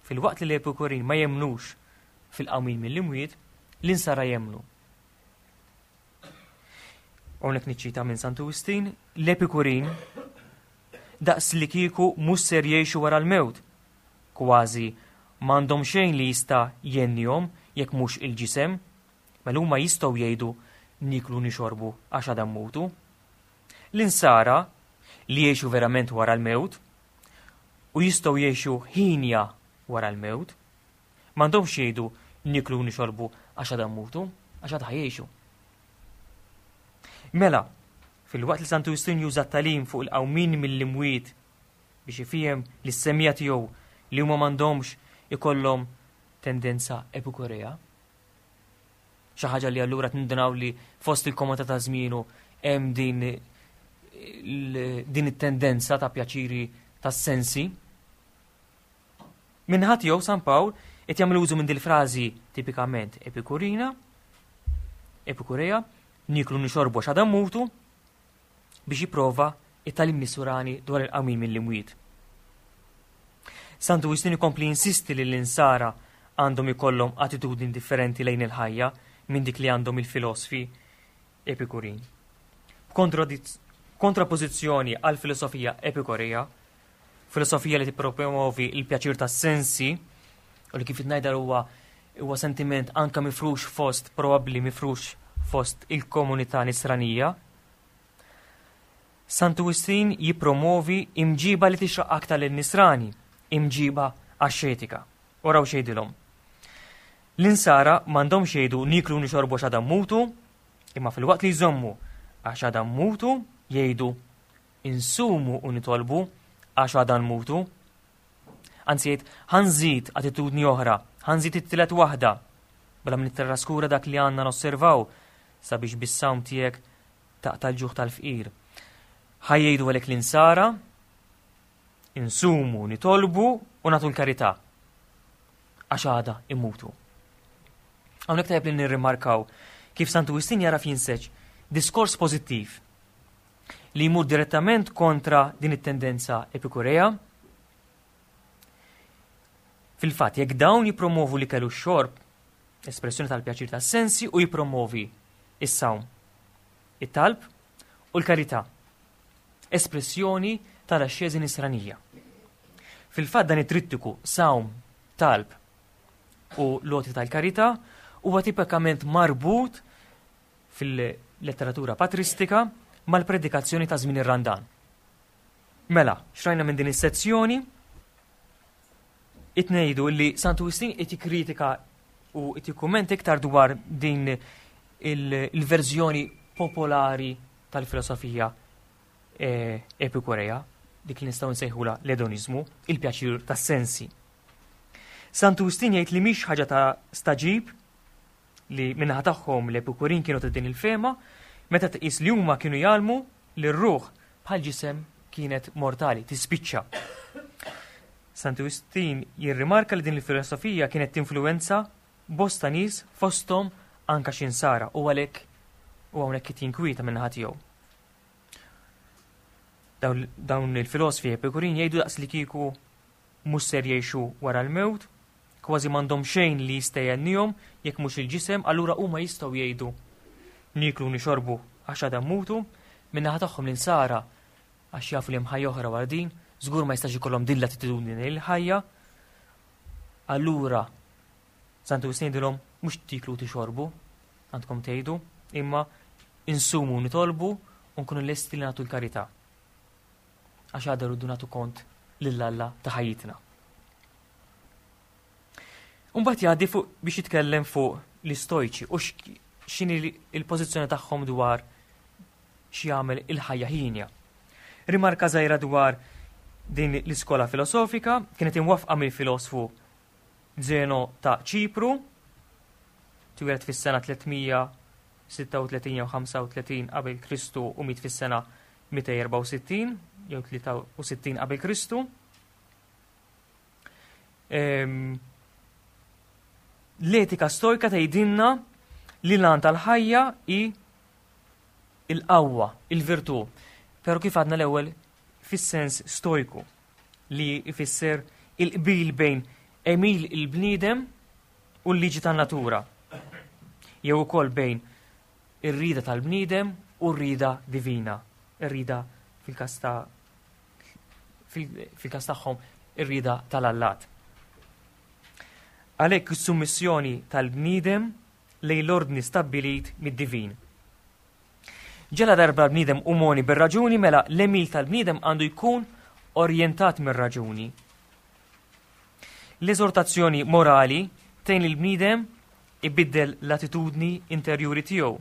B: fil-waqt li l-epikurin ma jemnux fil-qawmin mill-imwiet, l-insara jemnu. Hawnhekk niċċita minn Santu Wistin, l-epikurin daqs li kieku mhux ser jgħixu wara l-mewt, kważi m'għandhom xejn li jista' jennihom jekk mhux il-ġisem, mela huma jistgħu jgħidu niklu nixorbu għax għada mmutu. L-insara li jgħixu verament wara l-mewt u jistgħu jgħixu ħinja wara l-mewt, m'għandhomx jgħidu niklu nixorbu għax għada mmutu, għax għada jgħixu. Mela, fil-waqt li Santu Wistin juża t-tagħlim fuq il-qawmin mill-imwiet biex ifhem lis-semmiegħa tiegħu li huma m'għandhomx ikollhom tendenza epikurea. Xi ħaġa li allura tindunaw li fost il-komunità ta' żmienu hemm din din it-tendenza ta' pjaċiri tas-sensi. Minħat jew San Pawl qed jagħmel użu minn dil-frażi tipikament epikurina, epikurea, niklu nixorbu għax għada mmutu, biex jipprova it-tagħlim nisrani dwar il-qawmin mill-imwiet. Santu Wistin ikompli insisti li l-insara għandhom ikollhom attitudni differenti lejn il-ħajja minn dik li għandhom il-filosfi epikurin. Kontrapożizzjoni għal filosofija epikurea, filosofija li tippromovi il-pjaċir tas-sensi u li kif ngħidha huwa huwa sentiment anka mifrux fost, probabbli mifrux fost il-komunità nisranija. Santu Wistin jippromovi imġiba li tixraq aktar lin-nisrani, imġiba axxetika. Oraw xejdilhom. L-insara m'għandhomx jgħidu niklu nixorbu għax għada mmutu, imma fil-waqt li jżommu għax għada mmutu jgħidu insumu u nitolbu għax għada nmutu. Anzi jgħid ħa nżid attitudni oħra, ħa nżid it-tielet waħda, bla ma nittraskura dak li għandna nosservaw sabiex bis-sawm tiegħek taqta' l-ġuħ tal-fqir. Ħa jgħidu għalhekk l-insara insumu, nitolbu u nagħtu l-karità għax għada immutu. Hawnhekk tajjeb li nirrimarkaw kif Santu Wistin jara jinseġ diskors pożittiv li jmur direttament kontra din it-tendenza epikurea. Fil-fatt, jekk dawn jipromovu li kellu xorb, espressjoni tal-pjaċir tas-sensi, u jipromovi is-sawm, it-talb u l-karità, espressjoni tal-axxeżi nisranija. Fil-fatt dan it-trittiku sawm, talb u l-għoti tal-karità huwa tipikament marbut fil-letteratura patristika mal-predikazzjoni ta' żmien ir-Randan. Mela, xrajna minn din is-sezzjoni itnejdu li Santu Wistin qed jikkritika u qed jikkummenta iktar dwar din il-verżjoni popolari tal-filosofija epikurea, dik li nistgħu nsejħula l-edonizmu, il-pjaċir tas-sensi. Santu Wistin jgħid li mhix ħaġa ta' staġib li minnaħa tagħhom l-epikurin kienu ta' din il-fema, meta tqis li huma kienu jgħallmu li r-ruħ bħal ġisem kienet mortali, tispiċċa. Santu Wistin jirrimarka li din il-filosofija kienet tinfluwenza bosta nies, fosthom anka xi nsara, u għalhekk u hawnhekk qed jinkwieta min-naħa tiegħu. Dawn il-filosfi Epikurin jgħidu daqs li kieku mhux ser jgħixu wara l-mewt, kważi m'għandhom xejn li jista' jgħennihom jekk mhux il-ġisem, allura huma jistgħu jgħidu nieklu nixorbu għax għada mmutu. Min-naħa tagħhom l-insara, għax jafu li hemm ħajja oħra wara din, żgur ma jistax ikollhom din l-attitudni lejn il-ħajja. Allura Santu Wistin jgħidilhom mhux tiklu tixorbu, għandkom tgħidu, imma insumu nitolbu u nkunu lesti li nagħtu l-karità. Għax għadha rridu nagħtu kont lil Alla ta' ħajjitna. Mbagħad jgħaddi fuq biex jitkellem fuq l-istojċi u x'inhi l-pożizzjoni tagħhom dwar x'jagħmel il-ħajja ħinja. Rimarka żgħira dwar din l-iskola filosofika kienet imwaffqa mill-filosfu Zeno ta' Ċipru, twieled fis-sena tliet mija sitta u tletin jew ħamsa u tletin qabel Kristu u miet fis-sena mitejn erbgħa u sittin jew tlieta u sittin qabel Kristu. Ehm, l-etika stojka tgħidilna li l-għan tal-ħajja hi il-qawwa, il-virtù. Pero kif għadna l-ewwel, fis-sens stojku, li jfisser il-qbil bejn għemil il-bniedem u l-liġi tan-natura. Jew ukoll bejn ir-rida tal-bniedem u r-rida divina. Ir-rida fil-każ ta' fil-każ tagħhom ir-rida tal-allat. Għalhekk is-summissjoni tal-bniedem lejn l-ordni stabbilit mid-divin. Ġela darba l-bniedem umoni bir-raġuni, mela l-għemil tal-bniedem għandu jkun orjentat mir-raġuni. L-eżortazzjoni morali tgħin il-bniedem ibiddel l-attitudni interjuri tiegħu.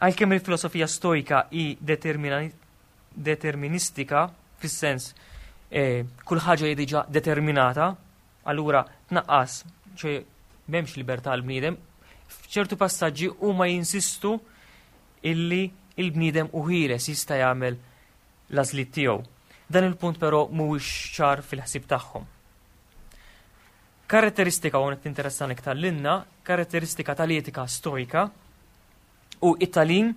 B: Għalkemm il-filosofija stojka hi deterministika, fis-sens eh, kull ħaġa hi diġà determinata, allura tnaqqas, ċe m'hemmx libertà l-bniedem, f'ċertu passaġġi huma jinsistu illi il-bniedem u ħieles, jista' jagħmel l-għażliet tiegħu. Dan il-punt però mhuwiex ċar fil-ħsieb tagħhom. Karatteristika, u qed interessani iktar lilna, karatteristika tal-etika stojka u it-tagħlim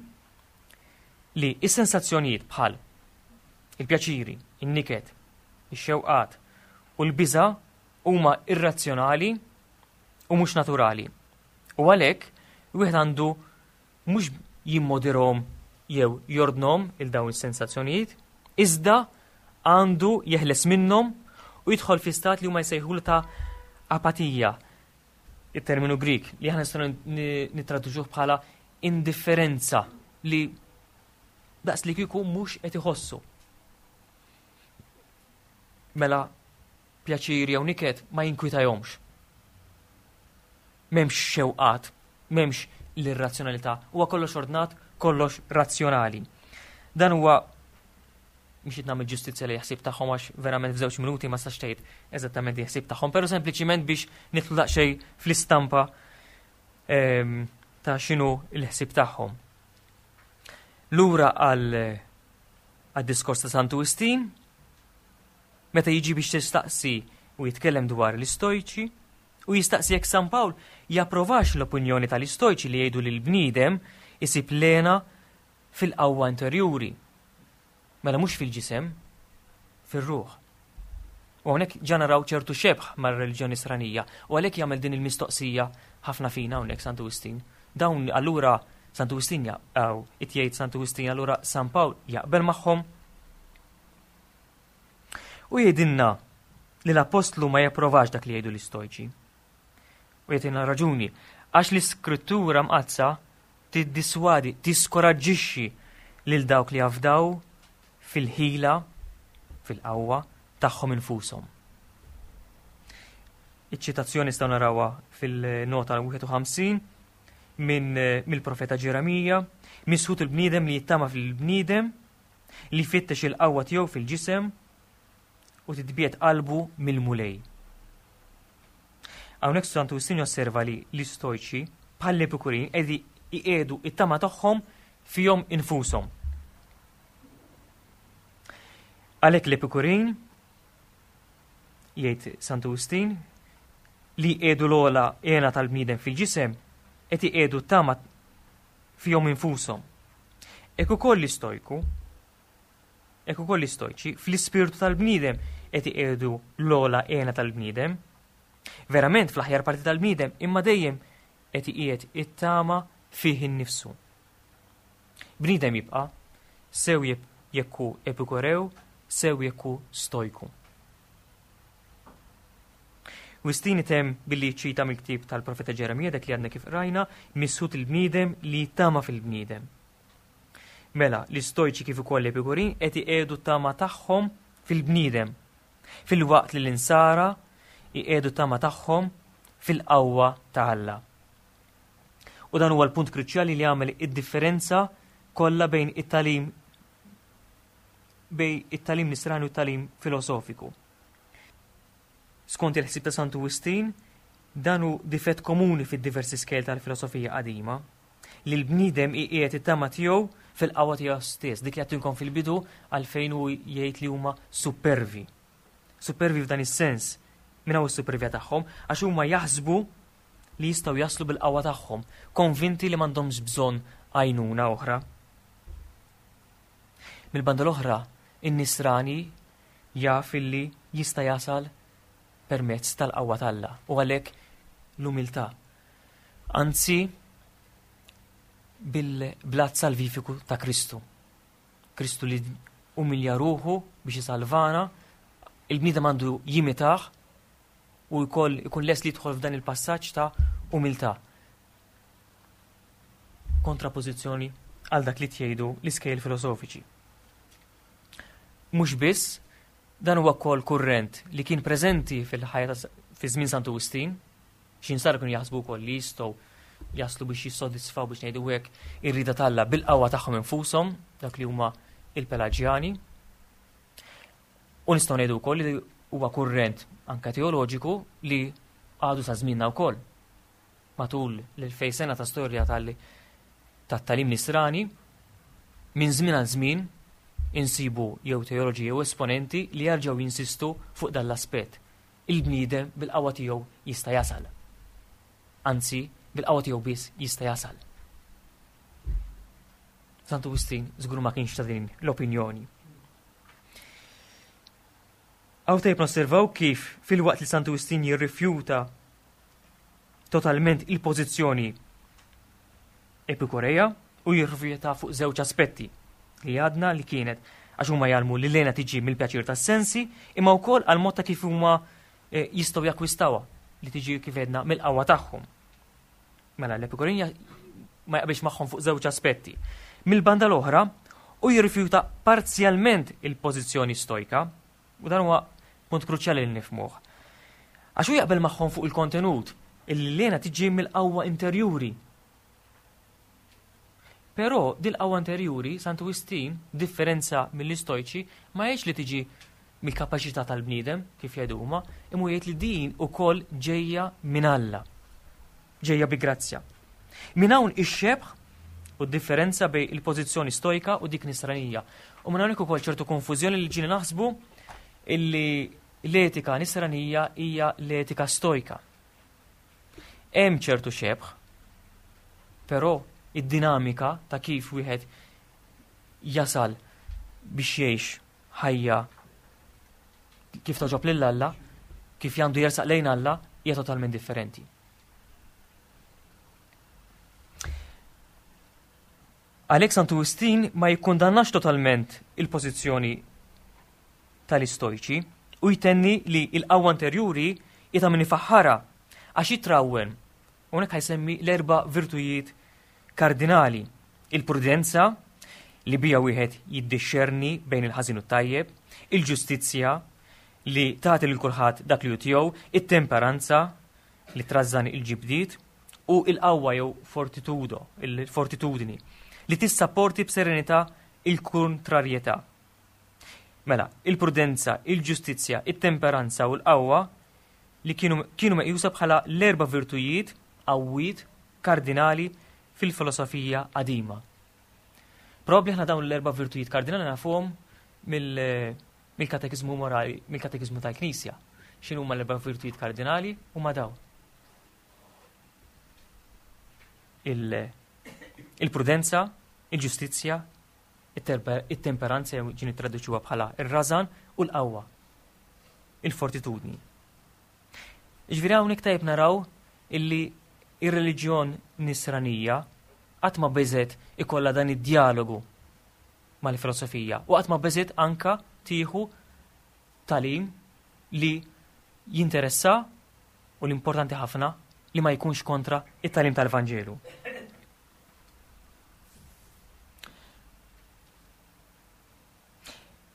B: li is-sensazzjonijiet bħal il-pjaċiri, in-niket, ix-xewqat u l-biża huma irrazzjonali u mhux naturali. U għalhekk wieħed għandu mhux jimmodirhom jew jordnhom il dawn is-sensazzjonijiet, iżda għandu jeħles minnhom u jidħol fi stat li huma jsejħulu ta' apatija, il-terminu Grik li aħna nistgħu nittraduċuh bħala indifferenza, li daqs li kieku mhux qed iħossu. Mela pjaċir jew niket ma jinkwitajhomx. M'hemmx xewqat, m'hemmx l-irrazzjonalità, huwa kollox ordnat, kollox razzjonali. Dan huwa mhux qed nagħmel ġustizzja li ħsieb tagħhom, għax verament f'żewġ minuti ma sax tgħid eżattament ħsieb tagħhom, però sempliċiment biex nidħlu daqsxejn fl-istampa ehm, ta' x'inhu l-ħsieb tagħhom. Lura għal għad-diskors ta' Santu Wistin, meta jiġi biex tistaqsi u jitkellem dwar l-istojċi, u jistaqsi jekk San Pawl japprovax l-opinjoni tal-istojċi li jgħidu li l-bniedem isib l-hena fil-qawwa interjuri. Mela mhux fil-ġisem, fir-ruħ. U hawnhekk ġa naraw ċertu xebħ mar-reliġjoni Nisranija u għalhekk jagħmel din il-mistoqsija ħafna fina hawnhekk Santu Wistin. Dawn allura Santu Wistin jaqgħu, jgħid Santu Wistin, allura San Pawl jaqbel magħhom. U jgħidilna li l-apostlu ma japprovax dak li jgħidu l-istojċi. U jgħidilna raġuni, għax l-iskrittura mqaddsa tiddiswadi, tiskoraġġixxi lil dawk li jafdaw fil-ħila, fil-qawwa tagħhom infushom. Iċ-ċitazzjoni nistgħu narawha fil-nota wieħed u ħamsin minn mill-profeta Ġeremija: "Misħut il-bniedem li jittama fil-bniedem, li jfittex il-qawwa tiegħu fil-ġisem u titbiegħed qalbu mill-Mulej." Hawnhekk Santu Wistin josserva li l-istojċi bħall-Epikurin qegħdi iqiegħdu it-tama tagħhom fihom infushom. Għalhekk l-Epikurin, jgħid Santu Wistin, li jqiegħdu l-ogħla hena tal-bniedem fil-ġisem qed iqiegħdu tama fihom infushom. Hekk ukoll l-istojku, hekk ukoll l-istojċi fl-ispirtu tal-bniedem qed iqiegħdu l-ogħla hena tal-bniedem. Verament fl-aħjar parti tal-bniedem, imma dejjem qed iqiegħed it-tama fih innifsu. Bniedem jibqa' sew jekk hu epikurew, sew jekk hu stojku. Wistin itemm billi ċita mill-ktieb tal-profeta Ġeremija, dak li għadna kif rajna, misħut il-bniedem li tama fil-bniedem. Mela, l-istojċi kif ukoll l-epikurin qed iqiegħdu tama tagħhom fil-bniedem, filwaqt li l-insara iqiegħdu tama tagħhom fil-qawwa ta' Alla. U dan huwa l-punt kruċjali li jagħmel id-differenza kollha bejn it-tagħlim bejn it-tagħlim nisrani u t-tagħlim filosofiku. Skont il-ħsieb ta' Santu Wistin, dan hu difett komuni fid-diversi skejjel tal-filosofija qadima, li l-bniedem iqiegħed it-tama tiegħu fil-qawwa tiegħu stess, dik li għedtilkom fil-bidu għalfejn hu jgħid li huma supervi. Supervi f'dan is-sens, minn hawn is-supervja tagħhom, għax huma jaħsbu li jistgħu jaslu bil-qawwa tagħhom, konvinti li m'għandhomx bżonn għajnuna oħra. Mill-banda l-oħra, in-nisrani jaf illi jista' jasal permezz tal-qawwa t'Alla u għalhekk l-umiltà. Anzi, bil-blat salvifiku ta' Kristu. Kristu li umilja ruħu biex jisalvana, il-bniedem għandu jimitah u jkoll ikun les li jidħol f'dan il-passaġġ ta' umiltà. Kontrapożizzjoni għal dak li tgħidu l-iskejjel filosofiċi. Mhux biss, dan huwa wkoll kurrent li kien preżenti fil-ħajja fi żmien Santu Wistin, xi nsara kienu jaħsbu wkoll li jistgħu jaslu biex jissodisfaw biex ngħidu hekk ir-rida t'Alla bil-qawwa tagħhom infushom, dak li huma il-Pelaġjani. U nistgħu ngħidu wkoll li huwa kurrent anke teoloġiku li għadu sa żmienna wkoll. Matul l-elfej sena ta' storja tat-tagħlim nisrani, minn żmien għal żmien insibu jew teoloġi jew esponenti li jarġgħu jinsistu fuq dan l-aspett. Il-bniedem bil-qawwa tiegħu jista' jasal. Anzi, bil-qawwa tiegħu biss jista' jasal. Santu Wistin żgur ma kienx ta' din l-opinjoni. Hawn tajjeb nosservaw kif filwaqt li Santu Wistin jirrifjuta totalment il-pożizzjoni epikureja u jirrifjuta fuq żewġ aspetti li għadna li kienet għax huma jgħallmu li l-hena tiġi mill-pjaċir tas-sensi imma wkoll għal mod ta' kif huma eh, jistgħu jakkwistawha li tiġi kif għedna mill-qawwa tagħhom. Mela l-Epikurin ma jaqbilx magħhom fuq żewġ aspetti. Mill-banda l-oħra u jirrifjuta parzjalment il-pożizzjoni stojka, u dan huwa punt kruċjali li nifhmuh. Għax hu jaqbel magħhom fuq il-kontenut, illi l-hena tiġi mill-qawwa interjuri. Però dil-qawwa interjuri, Santu Wistin, differenza mill-istojċi, ma jgħidx li tiġi mill-kapaċità tal-bniedem, kif jgħidu huma, imma jgħid li din ukoll ġejja minn Alla. Ġejja bi grazzja. Minn hawn ix-xebh u d-differenza bejn il-pożizzjoni stojka u dik nisranija. U minn hawnhekk ukoll ċertu konfużjoni li ġieli naħsbu illi l-etika nisranija hija l-etika stojka. Hemm ċertu xebh, però id-dinamika ta' kif wieħed jasal biex jgħix ħajja kif togħġob lil Alla, kif għandu jersaq lejn Alla, hija totalment differenti. Għalhekk Santu Wistin ma jikkundannax totalment il-pożizzjoni tal-istojċi u jtenni li l-qawwa interjuri hi ta' min ifaħħarha għax jitrawwen. Hawnhekk ħajsemmi l-erba' virtujiet kardinali: il-prudenza li bija wieħed jiddixxerni bejn il-ħażin u t-tajjeb, il-ġustizzja li tagħti lil kulħadd dak li hu tiegħu, it-temperanza li trażżan il-ġibdiet u l-qawwa jew fortitudo, il-fortitudni li tissapporti b'serenità il-kontrarjetà. Mela, il-prudenza, il-ġustizzja, it-temperanza u l-qawwa li kienu, kienu meqjusa bħala l-erba' virtujiet qawwiet kardinali fil-filosofija qadima. Probabbli aħna dawn l-erba' virtujiet kardinali nafuhom mill-, mill-katekiżmu morali, mill-katekiżmu tal-Knisja. X'inhu huma l-erba' virtujiet kardinali? Huma dawn. Il-prudenza, il-ġustizzja, it-temperanza jew ġieli nittraduċuha bħala ir-rażan u l-qawwa, il-fortitudni. Ġifieri hawnhekk tajjeb naraw illi ir-reliġjon nisranija qatt ma beżet ikollha dan id-dialogu mal-filosofija u qatt ma beżet anka tieħu tagħlim li jinteressa u l-importanti ħafna li ma jkunx kontra it-tagħlim tal-Vanġelu.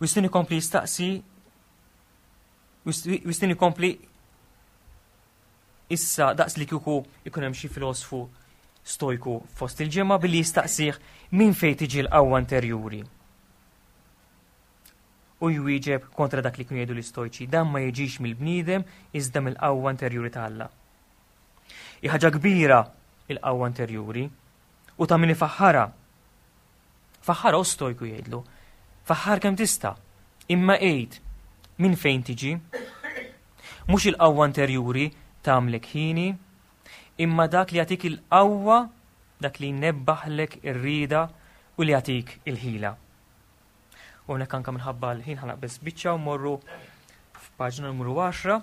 B: Wistin ikompli jistaqsi, Wistin ikompli issa daqs li kieku ikun hemm xi filosfu stojku fost il-ġemgħa billi jistaqsih minn fejn tiġi l-qawwa interjuri. U jwieġeb kontra dak li kienu jgħidu l-istojċi, dan ma jiġix mill-bniedem iżda mill-qawwa interjuri ta' Alla. Hi ħaġa kbira il-qawwa interjuri u ta' min ifaħħarha. Faħħarha u stojku jgħidlu. Faħħar kemm tista', imma għid minn fejn tiġi. Mhux il-qawwa interjuri tagħmlek ħini, imma dak li jagħtik il-qawwa, dak li jnebbaħlek ir-rieda u li jagħtik il-ħila. U hawnhekk anke minħabba l-ħin ħanaqbeż biċċa u morru f'paġna numru għaxra.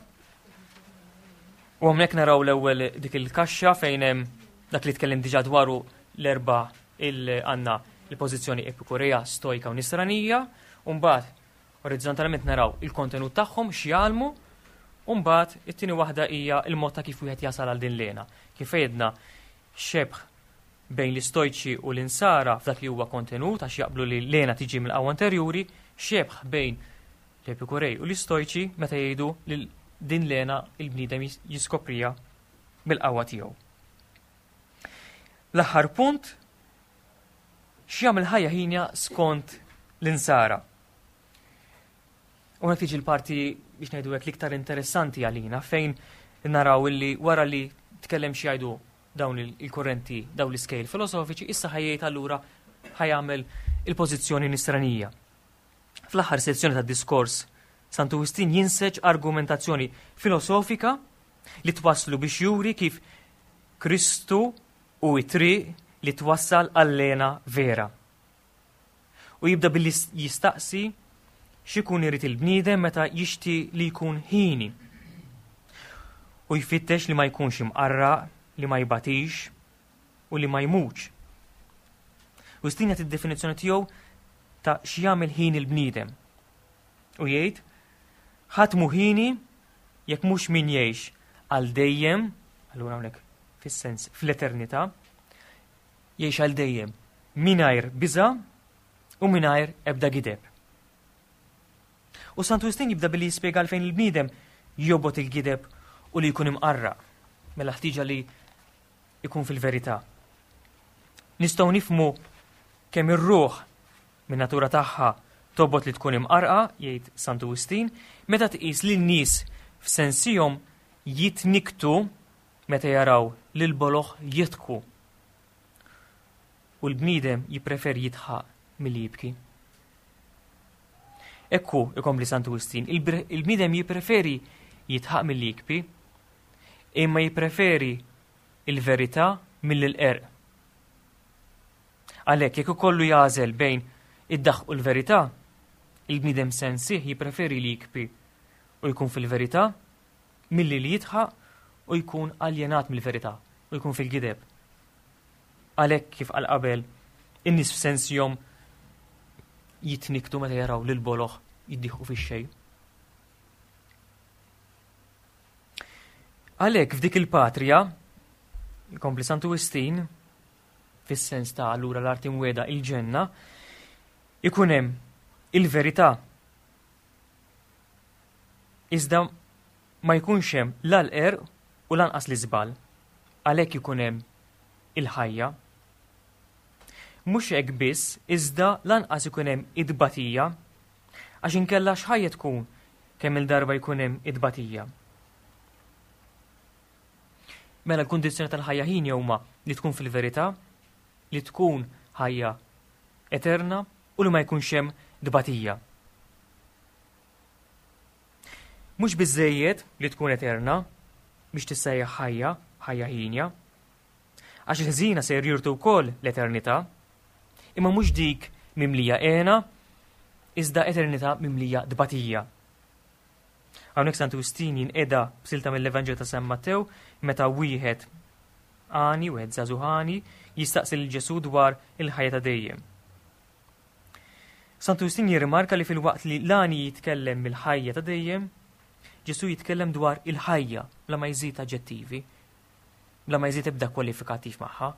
B: U hawnhekk naraw l-ewwel dik il-kaxxa fejn hemm dak li tkellim diġà dwaru l-erba' il għandna il-pożizzjoni epikurea, stojka u nisranija, u mbagħad orizzontalment naraw il-kontenut tagħhom x'jgħallmu, u mbagħad it-tieni waħda hija l-mod ta' kif wieħed jasal għal din l-hena. Kif għedna xebh bejn l-istojċi u l-insara f'dak li huwa kontenut għax jaqblu li l-hena tiġi mill-qawwa interjuri, xebh bejn l-epikurej u l-istojċi meta jgħidu li din l-hena il-bniedem jiskoprija bil-qawwa tiegħu. L-aħħar punt, x'jagħmel ħajja ħinja skont l-insara. U hekk tiġi l-parti biex ngħidu hekk l-iktar interessanti għalina fejn naraw illi wara li tkellem xi jgħidu dawn il-kurrenti, dawn l-iskejl filosofiċi, issa ħajjejt allura ħajamel il-pożizzjoni nisranija. Fl-aħħar sezzjoni tad-diskors, Santu Wistin jinseġ argumentazzjoni filosofika li twasslu biex juri kif Kristu u it-triq li twassal għall-hena vera. U jibda billi jistaqsi x'ikun irid il-bniedem meta jixti li jkun ħini. U jfittex li ma jkunx imqarraq, li ma jbatix u li ma jmutx. Wistin jagħti d-definizzjoni tiegħu ta' x'jagħmel ħin il-bniedem. U jgħid, ħadd mhu ħini jekk mhux min jgħix għal dejjem, allura hawnhekk fis-sens fl-eternità, jgħix għal dejjem mingħajr biża' u mingħajr ebda gideb. U Santu Wistin jibda billi jispjega għalfejn il-bniedem jobgħod il-gideb u li jkun imqarraq, mela ħtieġa li jkun fil-verità. Nistgħu nifhmu kemm ir-ruħ min natura tagħha tobgħod li tkun imqarrqa, jgħid Santu Wistin, meta tqis li n-nies f'sensihom jitniktu meta jaraw lil boloh jidħku. U l-bniedem jippreferi jidħaq milli jibki. Ekku, ikompli Santu Wistin, il-bniedem jippreferi jidħaq milli jibki, imma jippreferi il-verità milli l-qerq. Għalhekk jekk ikollu jagħżel bejn id-daħq u l-verità, il-bniedem sensih jippreferi li jibki u jkun fil-verità milli li jidħaq u jkun aljenat mill-verità u jkun fil-gideb. Għalhekk kif qal qabel, in-nies f'sensihom jitniktu meta jaraw lil boloh jiddieħqu fix-xejn. Għalhekk f'dik il-patrija, jkompli Santu Wistin, fis-sens ta' allura l-art imwiegħda il-ġenna, ikun hemm il-verità. Iżda ma jkunx hemm la l-qerq u lanqas l-iżball, għalhekk ikun hemm il-ħajja. Mhux hekk biss, iżda lanqas ikun hemm id-tbatija, għax inkella x'ħajja tkun kemm il-darba jkun hemm id-tbatija. Mela l-kundizzjoni tal-ħajja ħin huma li tkun fil-verità, li tkun ħajja eterna u li ma jkunx hemm tbatija. Mhux biżejjed li tkun eterna biex tissejjaħ ħajja, ħajja ħinja, Għax il-ħżiena ser jirtu wkoll l-eternità, imma mhux dik mimlija hena, iżda eternità mimlija tbatija. Hawnhekk Santu Wistin jinqeda b'silta mill-Evanġelju ta' San Mattew meta wieħed għani, wieħed żagħżugħ għani, jistaqsi lil Ġesù dwar il-ħajja ta' dejjem. Santu Wistin jirrimarka li filwaqt li l-għani jitkellem mill-ħajja ta' dejjem, Ġesù jitkellem dwar il-ħajja bla ma jżid aġġettivi, bla ma jżid ebda kwalifikattiv magħha.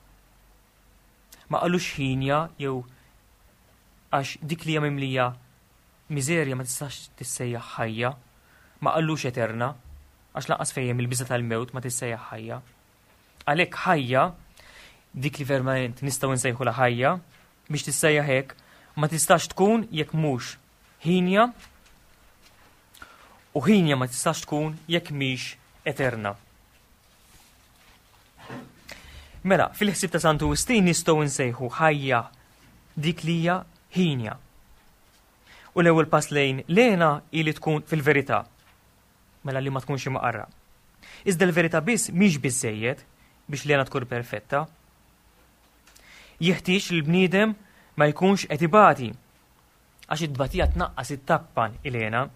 B: Ma qalux ħinja jew għax dik li hija mimlija miżerja ma tistax tissejjaħ ħajja, ma qalux eterna, għax lanqas fejn il-biża' tal-mewt ma tissejjaħ ħajja. Għalhekk ħajja, dik li verament nistgħu nsejħu la ħajja, biex tissejjaħ hekk, ma tistax tkun jekk mhux ħinja, u ħinja ma tistax tkun jekk mhix eterna. Mela, fil-ħsieb ta' Santu Wistin nistgħu nsejħu ħajja dik li hija ħinja. U l-ewwel pass lejn lena hi li tkun fil-verità, mela li ma tkunx imqarra. Iżda l-verità biss mhix biżejjed biex lena tkun perfetta. Jeħtieġ li l-bniedem ma jkunx qed ibati, għax it-tbatija tnaqqas it-tappan il-hena.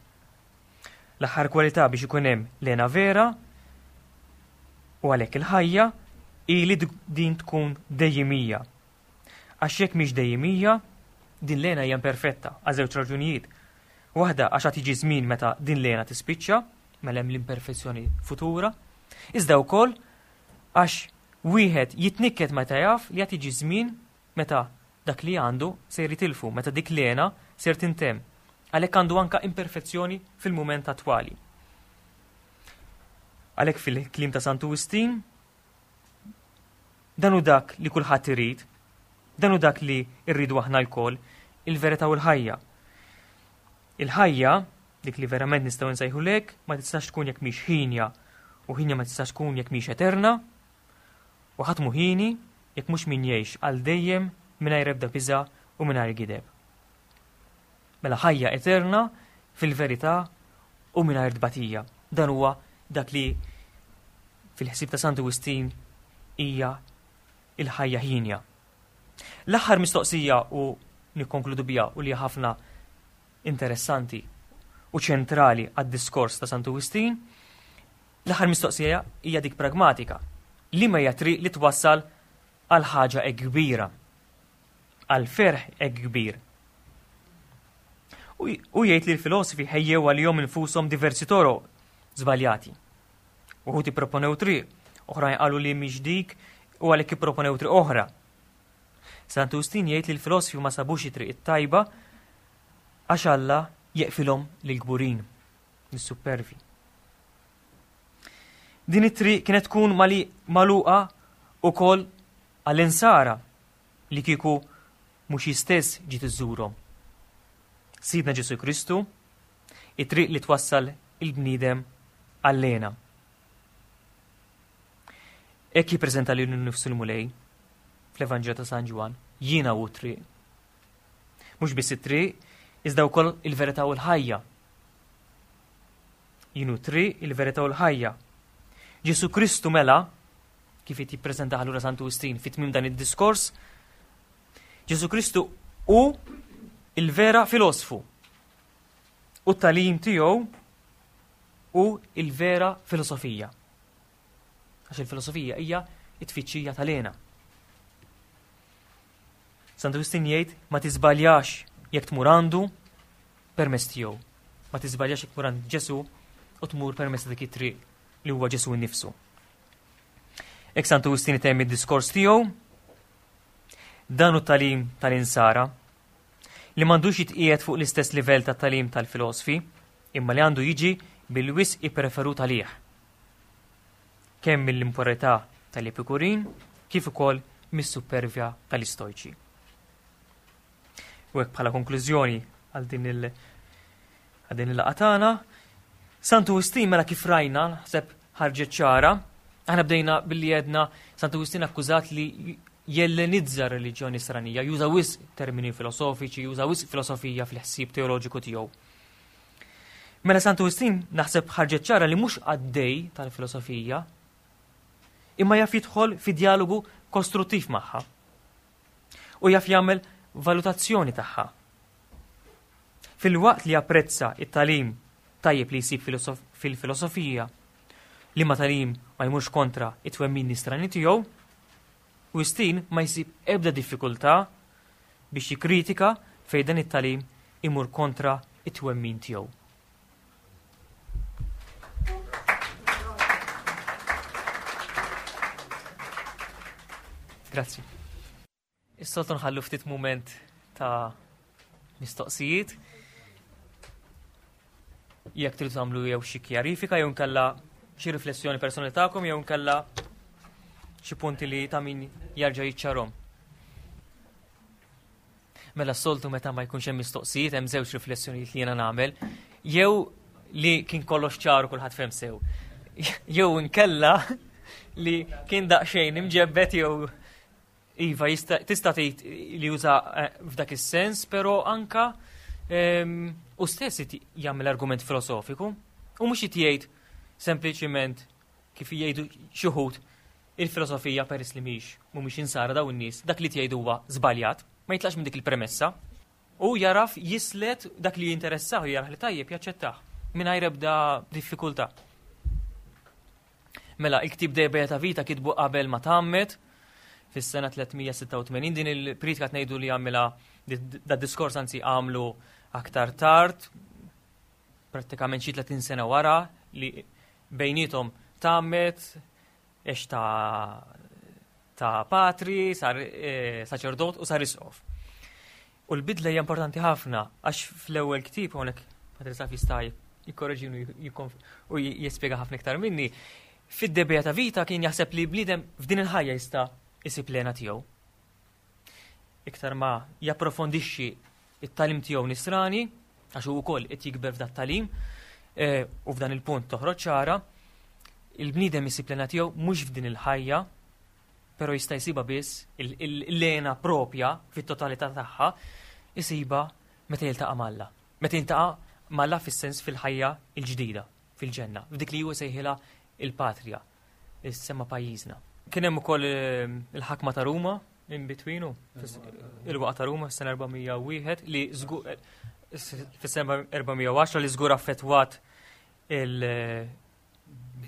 B: L-aħħar kwalità biex ikun hemm lena vera u għalhekk il-ħajja hi li din tkun dejjimija. Għax jekk mhix dejjimija, din lena hija imperfetta għal żewġ raġunijiet. Waħda għax għad jiġi żmien meta din lena tispiċċa, mela hemm l-imperfezzjoni futura, iżda wkoll għax wieħed jitnikket meta jaf li għad jiġi żmien meta dak li għandu se jitilfu, meta dik lena ser tintemm. Għalhekk għandu anka imperfezzjoni fil-mument attwali. Għalhekk fil-kliem ta' Santu Wistin, dan hu dak li kulħadd irid, dan hu dak li rridu aħna lkoll, il-verità u l-ħajja. Il-ħajja, dik li verament nistgħu nsejħu lek, ma tistax tkun jekk mhix ħinja, u ħinja ma tistax tkun jekk mhix eterna, u ħadd mhu ħini jekk mhux min jgħix għal dejjem mingħajr ebda biża' u mingħajr gideb. Mela ħajja eterna fil-verità u mingħajr tbatija. Dan huwa dak li fil-ħsieb ta' Santu Wistin hija il-ħajja ħinja. L-aħħar mistoqsija u nikkonkludu biha u li ħafna interessanti u ċentrali għad-diskors ta' Santu Wistin, l-aħħar mistoqsija hija dik pragmatika. Liema hija triq li twassal għal ħaġa hekk kbira, għal ferħ hekk kbir. U jgħid li l-filosofi ħejjew għalihom infushom diversi toroq żbaljati. Uħud ipproponew triq, oħrajn qalu li mhix dik u għalhekk ipproponew triq oħra. Santu Wistin jgħid li l-filosofi ma sabux it-triq it-tajba għax Alla jeqfilhom lill-kburin, lis-supervi. Din it-triq kienet tkun mali magħluqa wkoll għall-insara li kieku mhux jistess ġiet iżżurhom. Sidna Ġesù Kristu, it-triq li twassal il-bniedem għall-hena. Hekk jippreżenta lilu nnifsu l-Mulej fl-Evanġelju ta' San Ġwann, jiena hu t-triq. Mhux biss it-triq, iżda wkoll il-verità u l-ħajja. Jien hu t-triq, il-verità u l-ħajja. Ġesù Kristu mela, kif qed jippreżenta allura Santu Wistin fit tmiem dan id-diskors, Ġesù Kristu hu il-vera filosfu. U t-tagħlim tiegħu hu il-vera filosofija. Għax il-filosofija hija it-tfittxija tal-hena. Santu Wistin jgħid ma tiżbaljax jekk tmur għandu permezz tiegħu. Ma tiżbaljax jekk tmur għand Ġesù u tmur permezz dik it-triq li huwa Ġesù nnifsu. Hekk Santu Wistin itemm id-diskors tiegħu, dan hu t-tagħlim tal-insara li m'għandux jitqiegħed fuq l-istess livell tat-tagħlim tal-filosofi, imma li għandu jiġi bil-wisq ippreferut għalih. Kemm mill-impurità tal-Epikurin kif ukoll mis-supervja tal-Istojċi. U hekk bħala konklużjoni għal din il- għal din il-laqgħa tagħna, Santu Wistin mela kif rajna, naħseb ħarġet ċara, aħna bdejna billi għedna Santu Wistin akkużat li jellenizza r-reliġjoni nisranija, juża wisq termini filosofiċi, juża wisq filosofija fil-ħsieb teoloġiku tiegħu. Mela Santu Wistin naħseb ħarġet ċara li mhux għaddej tal-filosofija, imma jaf jidħol fi dialogu kostruttiv magħha. U jaf jagħmel valutazzjoni tagħha. Filwaqt li japprezza it-tagħlim tajjeb li jsib fil-filosofija, li ma tagħlim ma jmurx kontra it-twemmin nisrani tiegħu, Wistin ma jsib ebda diffikultà biex jikkritika fejn dan it-tagħlim imur kontra it-twemmin tiegħu. Grazzi. Is-soltu nħallu ftit mument ta' mistoqsijiet. Jekk tridu tagħmlu jew xi kjarifika jew nkella xi riflessjoni personali tagħkom jew nkella xi punti li ta' min jarġa' jiċċarhom. Mela s-soltu meta ma jkunx hemm mistoqsijiet hemm żewġ riflessjonijiet li jiena nagħmel, jew li kien kollox ċar u kulħadd fehem sew. Jew inkella li kien daqsxejn imġebbet jew iva tista' tgħid li juża f'dak is-sens, però anka u stess jagħmel argument filosofiku u mhux jgħid sempliċiment kif jgħidu xi wħud il-filosofija peress li mhix mhumiex insara dawn in-nies, dak li tgħidu huwa żbaljat, ma jitlaqx minn dik il-premessa u jaraf jislet dak li jinteressah u jarah li tajjeb jaċċettah mingħajr ebda diffikultà. Mela, il-ktieb De Beata Vita kitbu qabel ma tgħammed fis-sena tliet mija sitta u tmenin, din il-pritka tnejdu li għamilha da diskors anzi għamlu aktar tard, prattikament xi tletin sena wara li bejnietom tgħammed, għex ta', ta' patri, sar eh, saċerdot u sar isqof. U l-bidla hija importanti ħafna għax fl-ewwel ktieb hawnhekk Patri Saf jista' jikkorreġini u jispjega ħafna iktar minni, fid-De Beata Vita kien jaħseb li bniedem f'din il-ħajja jista' isib l-hena tiegħu. Iktar ma japprofondixxi it-tagħlim tiegħu nisrani, għax hu wkoll qed jikber f'dat tagħlim, eh, u f'dan il-punt toħroġ ċara, il-bniedem isib l-hena tiegħu mhux f'din il-ħajja, però jista' jsibha biss l-hena propja fit-totalità tagħha, isibha meta jiltaqa' m'Alla. Meta jiltaqa' m'Alla fis-sens fil-ħajja l-ġdida, fil-ġenna, f'dik li hu sejħilha il-patrija, is-sema pajjiżna. Kien hemm ukoll il-ħakma ta' Ruma in betweenu, il-waqgħa ta' Ruma fis-sena erba' mija u wieħed li fis-sena erba' mija u għaxra li żgur affettwat il-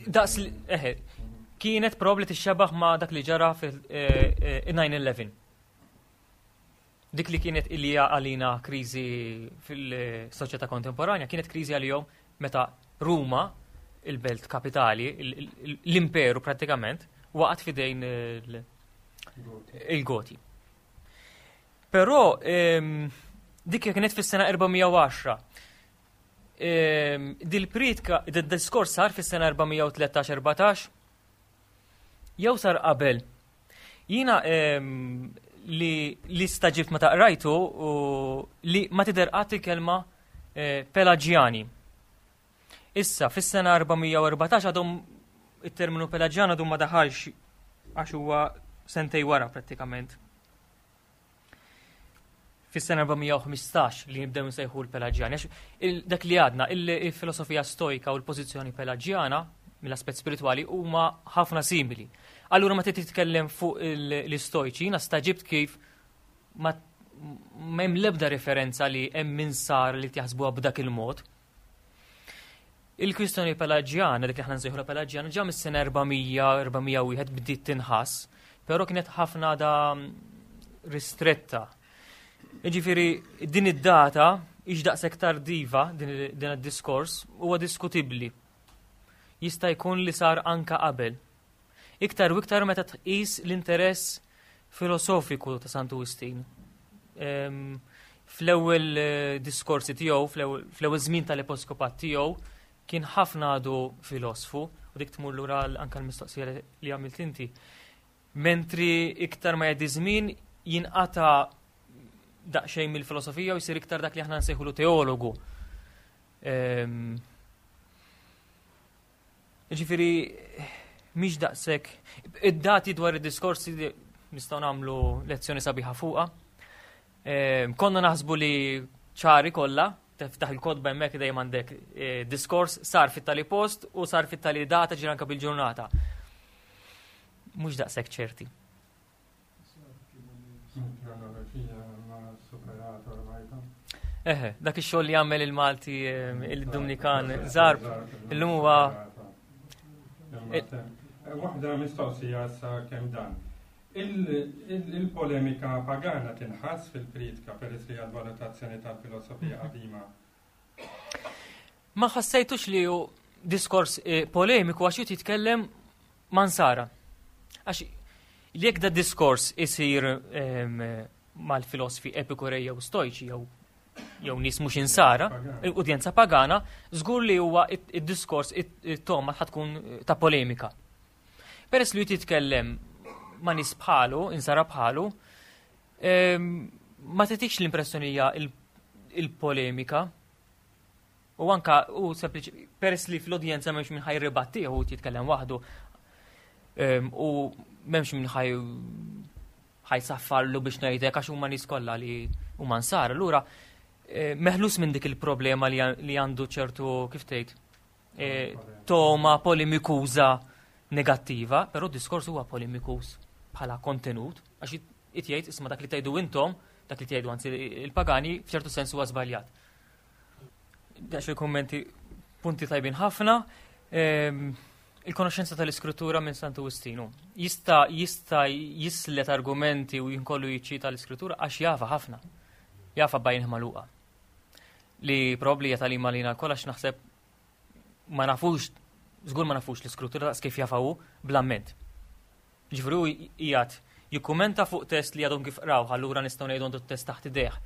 B: daqs li, eħe, kienet probabbli tixxabaħ ma' dak li ġara fil-nine eleven. Dik li kienet illi hija għalina kriżi fil-soċjetà kontemporanja, kienet kriżi għalihom meta Ruma, il-belt kapitali, l-imperu pratikament, waqgħet fidejn il-Goti. Però dik kienet fis-sena erba' mija u għaxra. Dil-pritka, dil-diskors sar fis-sena erba' mija u tlettax, erbatax, jew sar qabel. Jiena li, li staġibt meta qrajtu u li ma tidher qatt il-kelma, eh, Pelagiani. Issa, fis-sena erba' mija u erbatax għadhom it-terminu Pelagian għadhom ma daħalx għax huwa sentej wara prattikament. Fis-sena erba' mija u ħmistax li nibdew nsejħu l-Pelagiani. Għax il-, dak li għadna, il-, il-filosofija stoika u l-pożizzjoni Pelagiana mill-aspett spiritwali huma ħafna simili. Allura ma trid titkellem fuq il-, l-istoiċi, jiena staġibt kif ma m'hemm l-ebda referenza li hemm min sar li tjaħsbuha b'dak il-mod. Il-kwistjoni Pelagiana, dik li aħna nsejħu Pelagiana, ġa mis-sena erba' mija, erba' mija u wieħed bdiet tinħass, però kienet ħafna da ristretta. Jiġifieri din id-data hix daqshekk tardiva din il-, din id-diskors huwa diskutibbli. Jista' jkun li sar anka qabel. Iktar u iktar meta tqis l-interess filosofiku ta' Santu Wistin. Ehm, fl-ewwel, eh, diskorsi tiegħu, fl-ewwel, fl-ewwel żmien tal-episkopat tiegħu, kien ħafna għadu filosfu, u dik tmur lura l-, anka l-mistoqsija li, li għamilt inti. Mentri iktar ma jgħaddi żmien jinqata' daqsxejn mill-filosofija u jsir iktar dak li aħna nsejħulu teologu. Ehm, jiġifieri mhix daqshekk. Id-dati dwar id-diskorsi nistgħu nagħmlu lezzjoni sabiħa fuqha. Ehm, konna naħsbu li ċari kollha, tiftaħ il-kotba hemmhekk dejjem għandek, eh, diskors sar fit-tali post u sar fit-tali data ġir anke bil-ġurnata. Mhux daqshekk ċerti.
C: Il-kronoloġija ma superato ormai.
B: Eħe, dak ix-xogħol li jagħmel il-Malti il-Dumnikan Zarb, illum huwa
C: Waħda mistoqsija sa kemm dan. Il-polemika pagana tinħass fil-priedka peress li għal-valutazzjoni tal-filosofija qadima.
B: Ma ħassejtux li hu diskors eh, polemiku għax jitkellem ma' Nsara. Għax jekk da diskors isir mal-filosofi epikurej jew stojċi jew jew nies mhux insara, udjenza pagana, żgur li huwa id-diskors it-toma ħa tkun ta' polemika. Peress li jitkellem ma' nies bħalu, insara bħalu, ma tagħtikx l-impressjoni hija il-polemika. U anka u sempliċi peress li fl-udjenza m'hemmx min ħa jirribatti u jitkellem waħdu. U m'hemmx min ħaj ħa jsaffarlu biex ngħidlek għax huma nies kollha li huma nsara. Allura meħlus minn dik il-problema li għandu ċertu kif tgħid toma polemikuża negattiva, però d-diskors huwa polemikuż bħala kontenut, għax it jgħid isma' dak li tgħidu intom, dak li tgħidu anzi il-pagani f'ċertu sens huwa żbaljat. Dax il-kummenti punti tajbin ħafna. Il-konoxenza tal-iskrittura minn Santu Wistinu. Jista' jista' jislet argumenti u jinkollu jiċċita l-iskrittura għax jafa ħafna. Jafa b'għajn magħluqa. Li probabbli hija tagħlima lina lkoll għax naħseb ma nafux, żgur ma nafux l-iskrittura daqs kif jafa hu bl-amment. Ġifieri hu qiegħed jikkumenta fuq test li għadhom kif qraw, allura nistgħu ngħidu għandu test taħt idejh.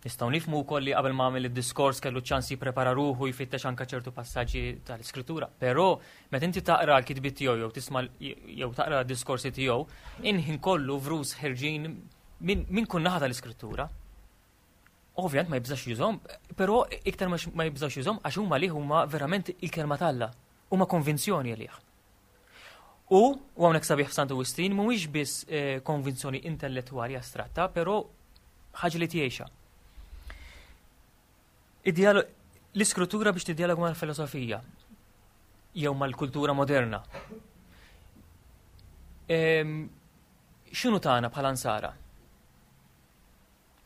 B: Nistgħu nifhmu wkoll li qabel ma għamel id-diskors kellu ċans jipprepara ruħu jfittex anke ċertu passaġġi tal-iskrittura, però meta inti taqra l-kitbiet tiegħu jew tisma' jew taqra d-diskorsi tiegħu, inħin kollu vrus ħerġin minn kull naħa tal-iskrittura. Ovvjament ma jibżax jużhom, però iktar ma jibżax jużhom għax huma li huma verament il-kelma t'Alla, huma konvinzjoni għalih. U, u hawnhekk sabiħ f'Santu Wistin mhuwiex biss eh, konvinzjoni intellettwali astratta, però ħaġa li tgħixha. L-iskrittura biex tiddialogu mal-filosofija jew mal-kultura moderna. X'inhu tagħna bħala nsara?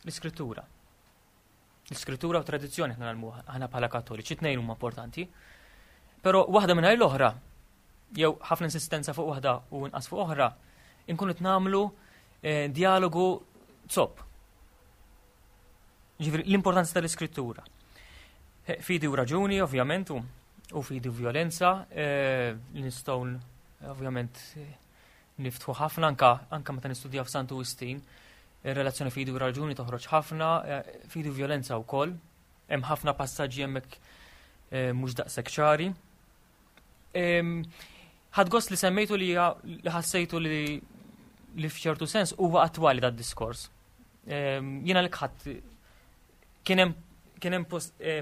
B: L-iskrittura. L-iskrittura u tradizzjoni aħna nagħmluha aħna bħala Kattoliċi, tnejn huma importanti. Però waħda mingħajr l-oħra, jew ħafna insistenza fuq waħda u inqas fuq oħra, inkunu qed nagħmlu eh, dialogu zopp. Ġifieri l-importanza tal-iskrittura. Eh, fidi u raġuni, ovvjament, u fidi u violenza, eh, nistgħu ovvjament niftħu ħafna anka anka meta nistudjaw f'Santu Wistin, ir-relazzjoni fidi u raġuni toħroġ ħafna, fidi u violenza wkoll. Hemm ħafna passaġġi hemmhekk mhux daqshekk ċari. Ħadt gost li semmejtu li ħassejtu li li f'ċertu sens huwa attwali dat diskors. Jiena li ħadd kien hemm kien hemm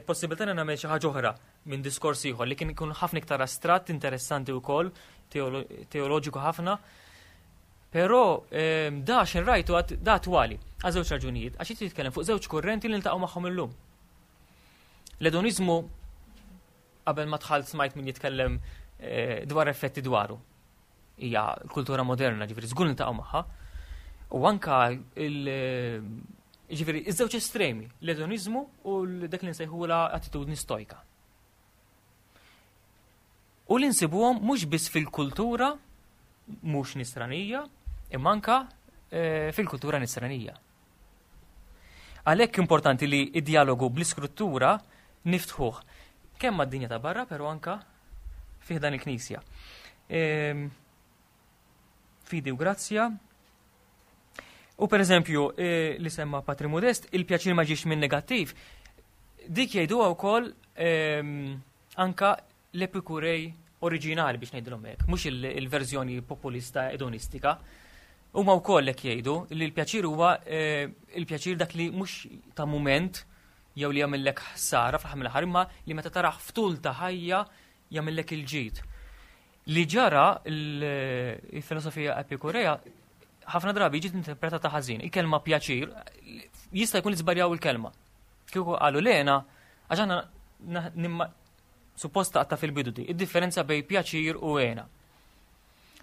B: possibilità li nagħmel xi ħaġa oħra minn diskors ieħor li kien ikun ħafna iktar astratt, interessanti wkoll, teoloġiku ħafna. Però da x'in rajtu da attwali għal żewġ raġunijiet, għax jitkellem fuq żewġ kurrenti li niltaqgħu magħhom illum. L-edonizmu qabel ma dħalt smajt min jitkellem dwar effetti dwaru. Hija l-kultura moderna, ġifieri żgur niltaqgħu magħha. U anka il ġifieri iż-żewġ estremi, l-edonizmu u dak li nsejħula attitudni stojka. U li nsibuhom mhux biss fil-kultura mhux nisranija, imma anka fil-kultura nisranija. Għalhekk importanti li id-dialogu bl-iskrittura niftħuh kemm mad-dinja ta' barra, però anka fih dan il-Knisja. Fidi u grazzja. U per eżempju, li semma Patri Modest, il-pjaċir ma ġiex minn negattiv, dik jgħiduha wkoll anka l-Epikurej oriġinali biex ngħidilhom hekk, mhux il-verżjoni populista edonistika. Huma wkoll hekk jgħidu li l-pjaċir huwa il-pjaċir dak li mhux ta' mument jew li jagħmellek ħsara fl-aħħar mill-aħħar, imma li meta taraħ ftul ta' ħajja jagħmellek il-ġid. Li ġara il-filosofija Epikurea ħafna drabi ġiet interpretata ħażin. Il-kelma pjaċir jista' jkun li żbaljaw il-kelma. Kieku qalu lena għax aħna nimma supposta għatta fil-bidu di, id-differenza bej pjaċir u hena.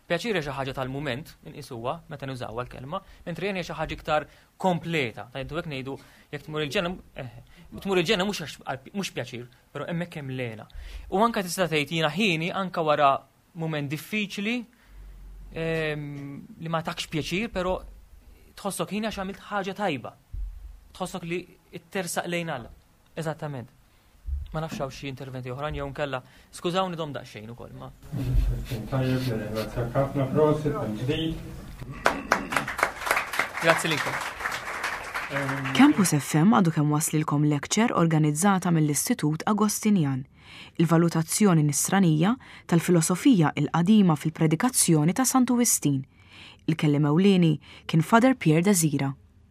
B: Pjaċir hija xi ħaġa tal-mument, inqisuha meta nużawha l-kelma, mentri hija xi ħaġa iktar kompleta. Tajdu hekk ngħidu jekk tmur il-ġenna, eh, tmur il-ġenna mhux mhux pjaċir, però hemmhekk hemm l-hena. U anke tista' tgħid jiena hieni anke wara mument diffiċli ehm, li ma takx pjaċir, però tħossok hieni għax għamilt ħaġa tajba. Tħossok li tersaq lejn Alla. Eżattament. Ma nafx hawn xi interventi oħrajn jew nkella skużawni domt daqsxejn ukoll ma.
C: Tajjeb, nirringrazzjak ħafna prosit mill-ġdid.
B: Grazzi lilkom.
A: Campus F M għadu kemm waslilkom lecture organizzata mill-Istitut Agostinjan, il-valutazzjoni nisranija tal-filosofija il-qadima fil-predikazzjoni ta' Santu Wistin. Il-kelliem ewlieni kien Father Pierre Desira.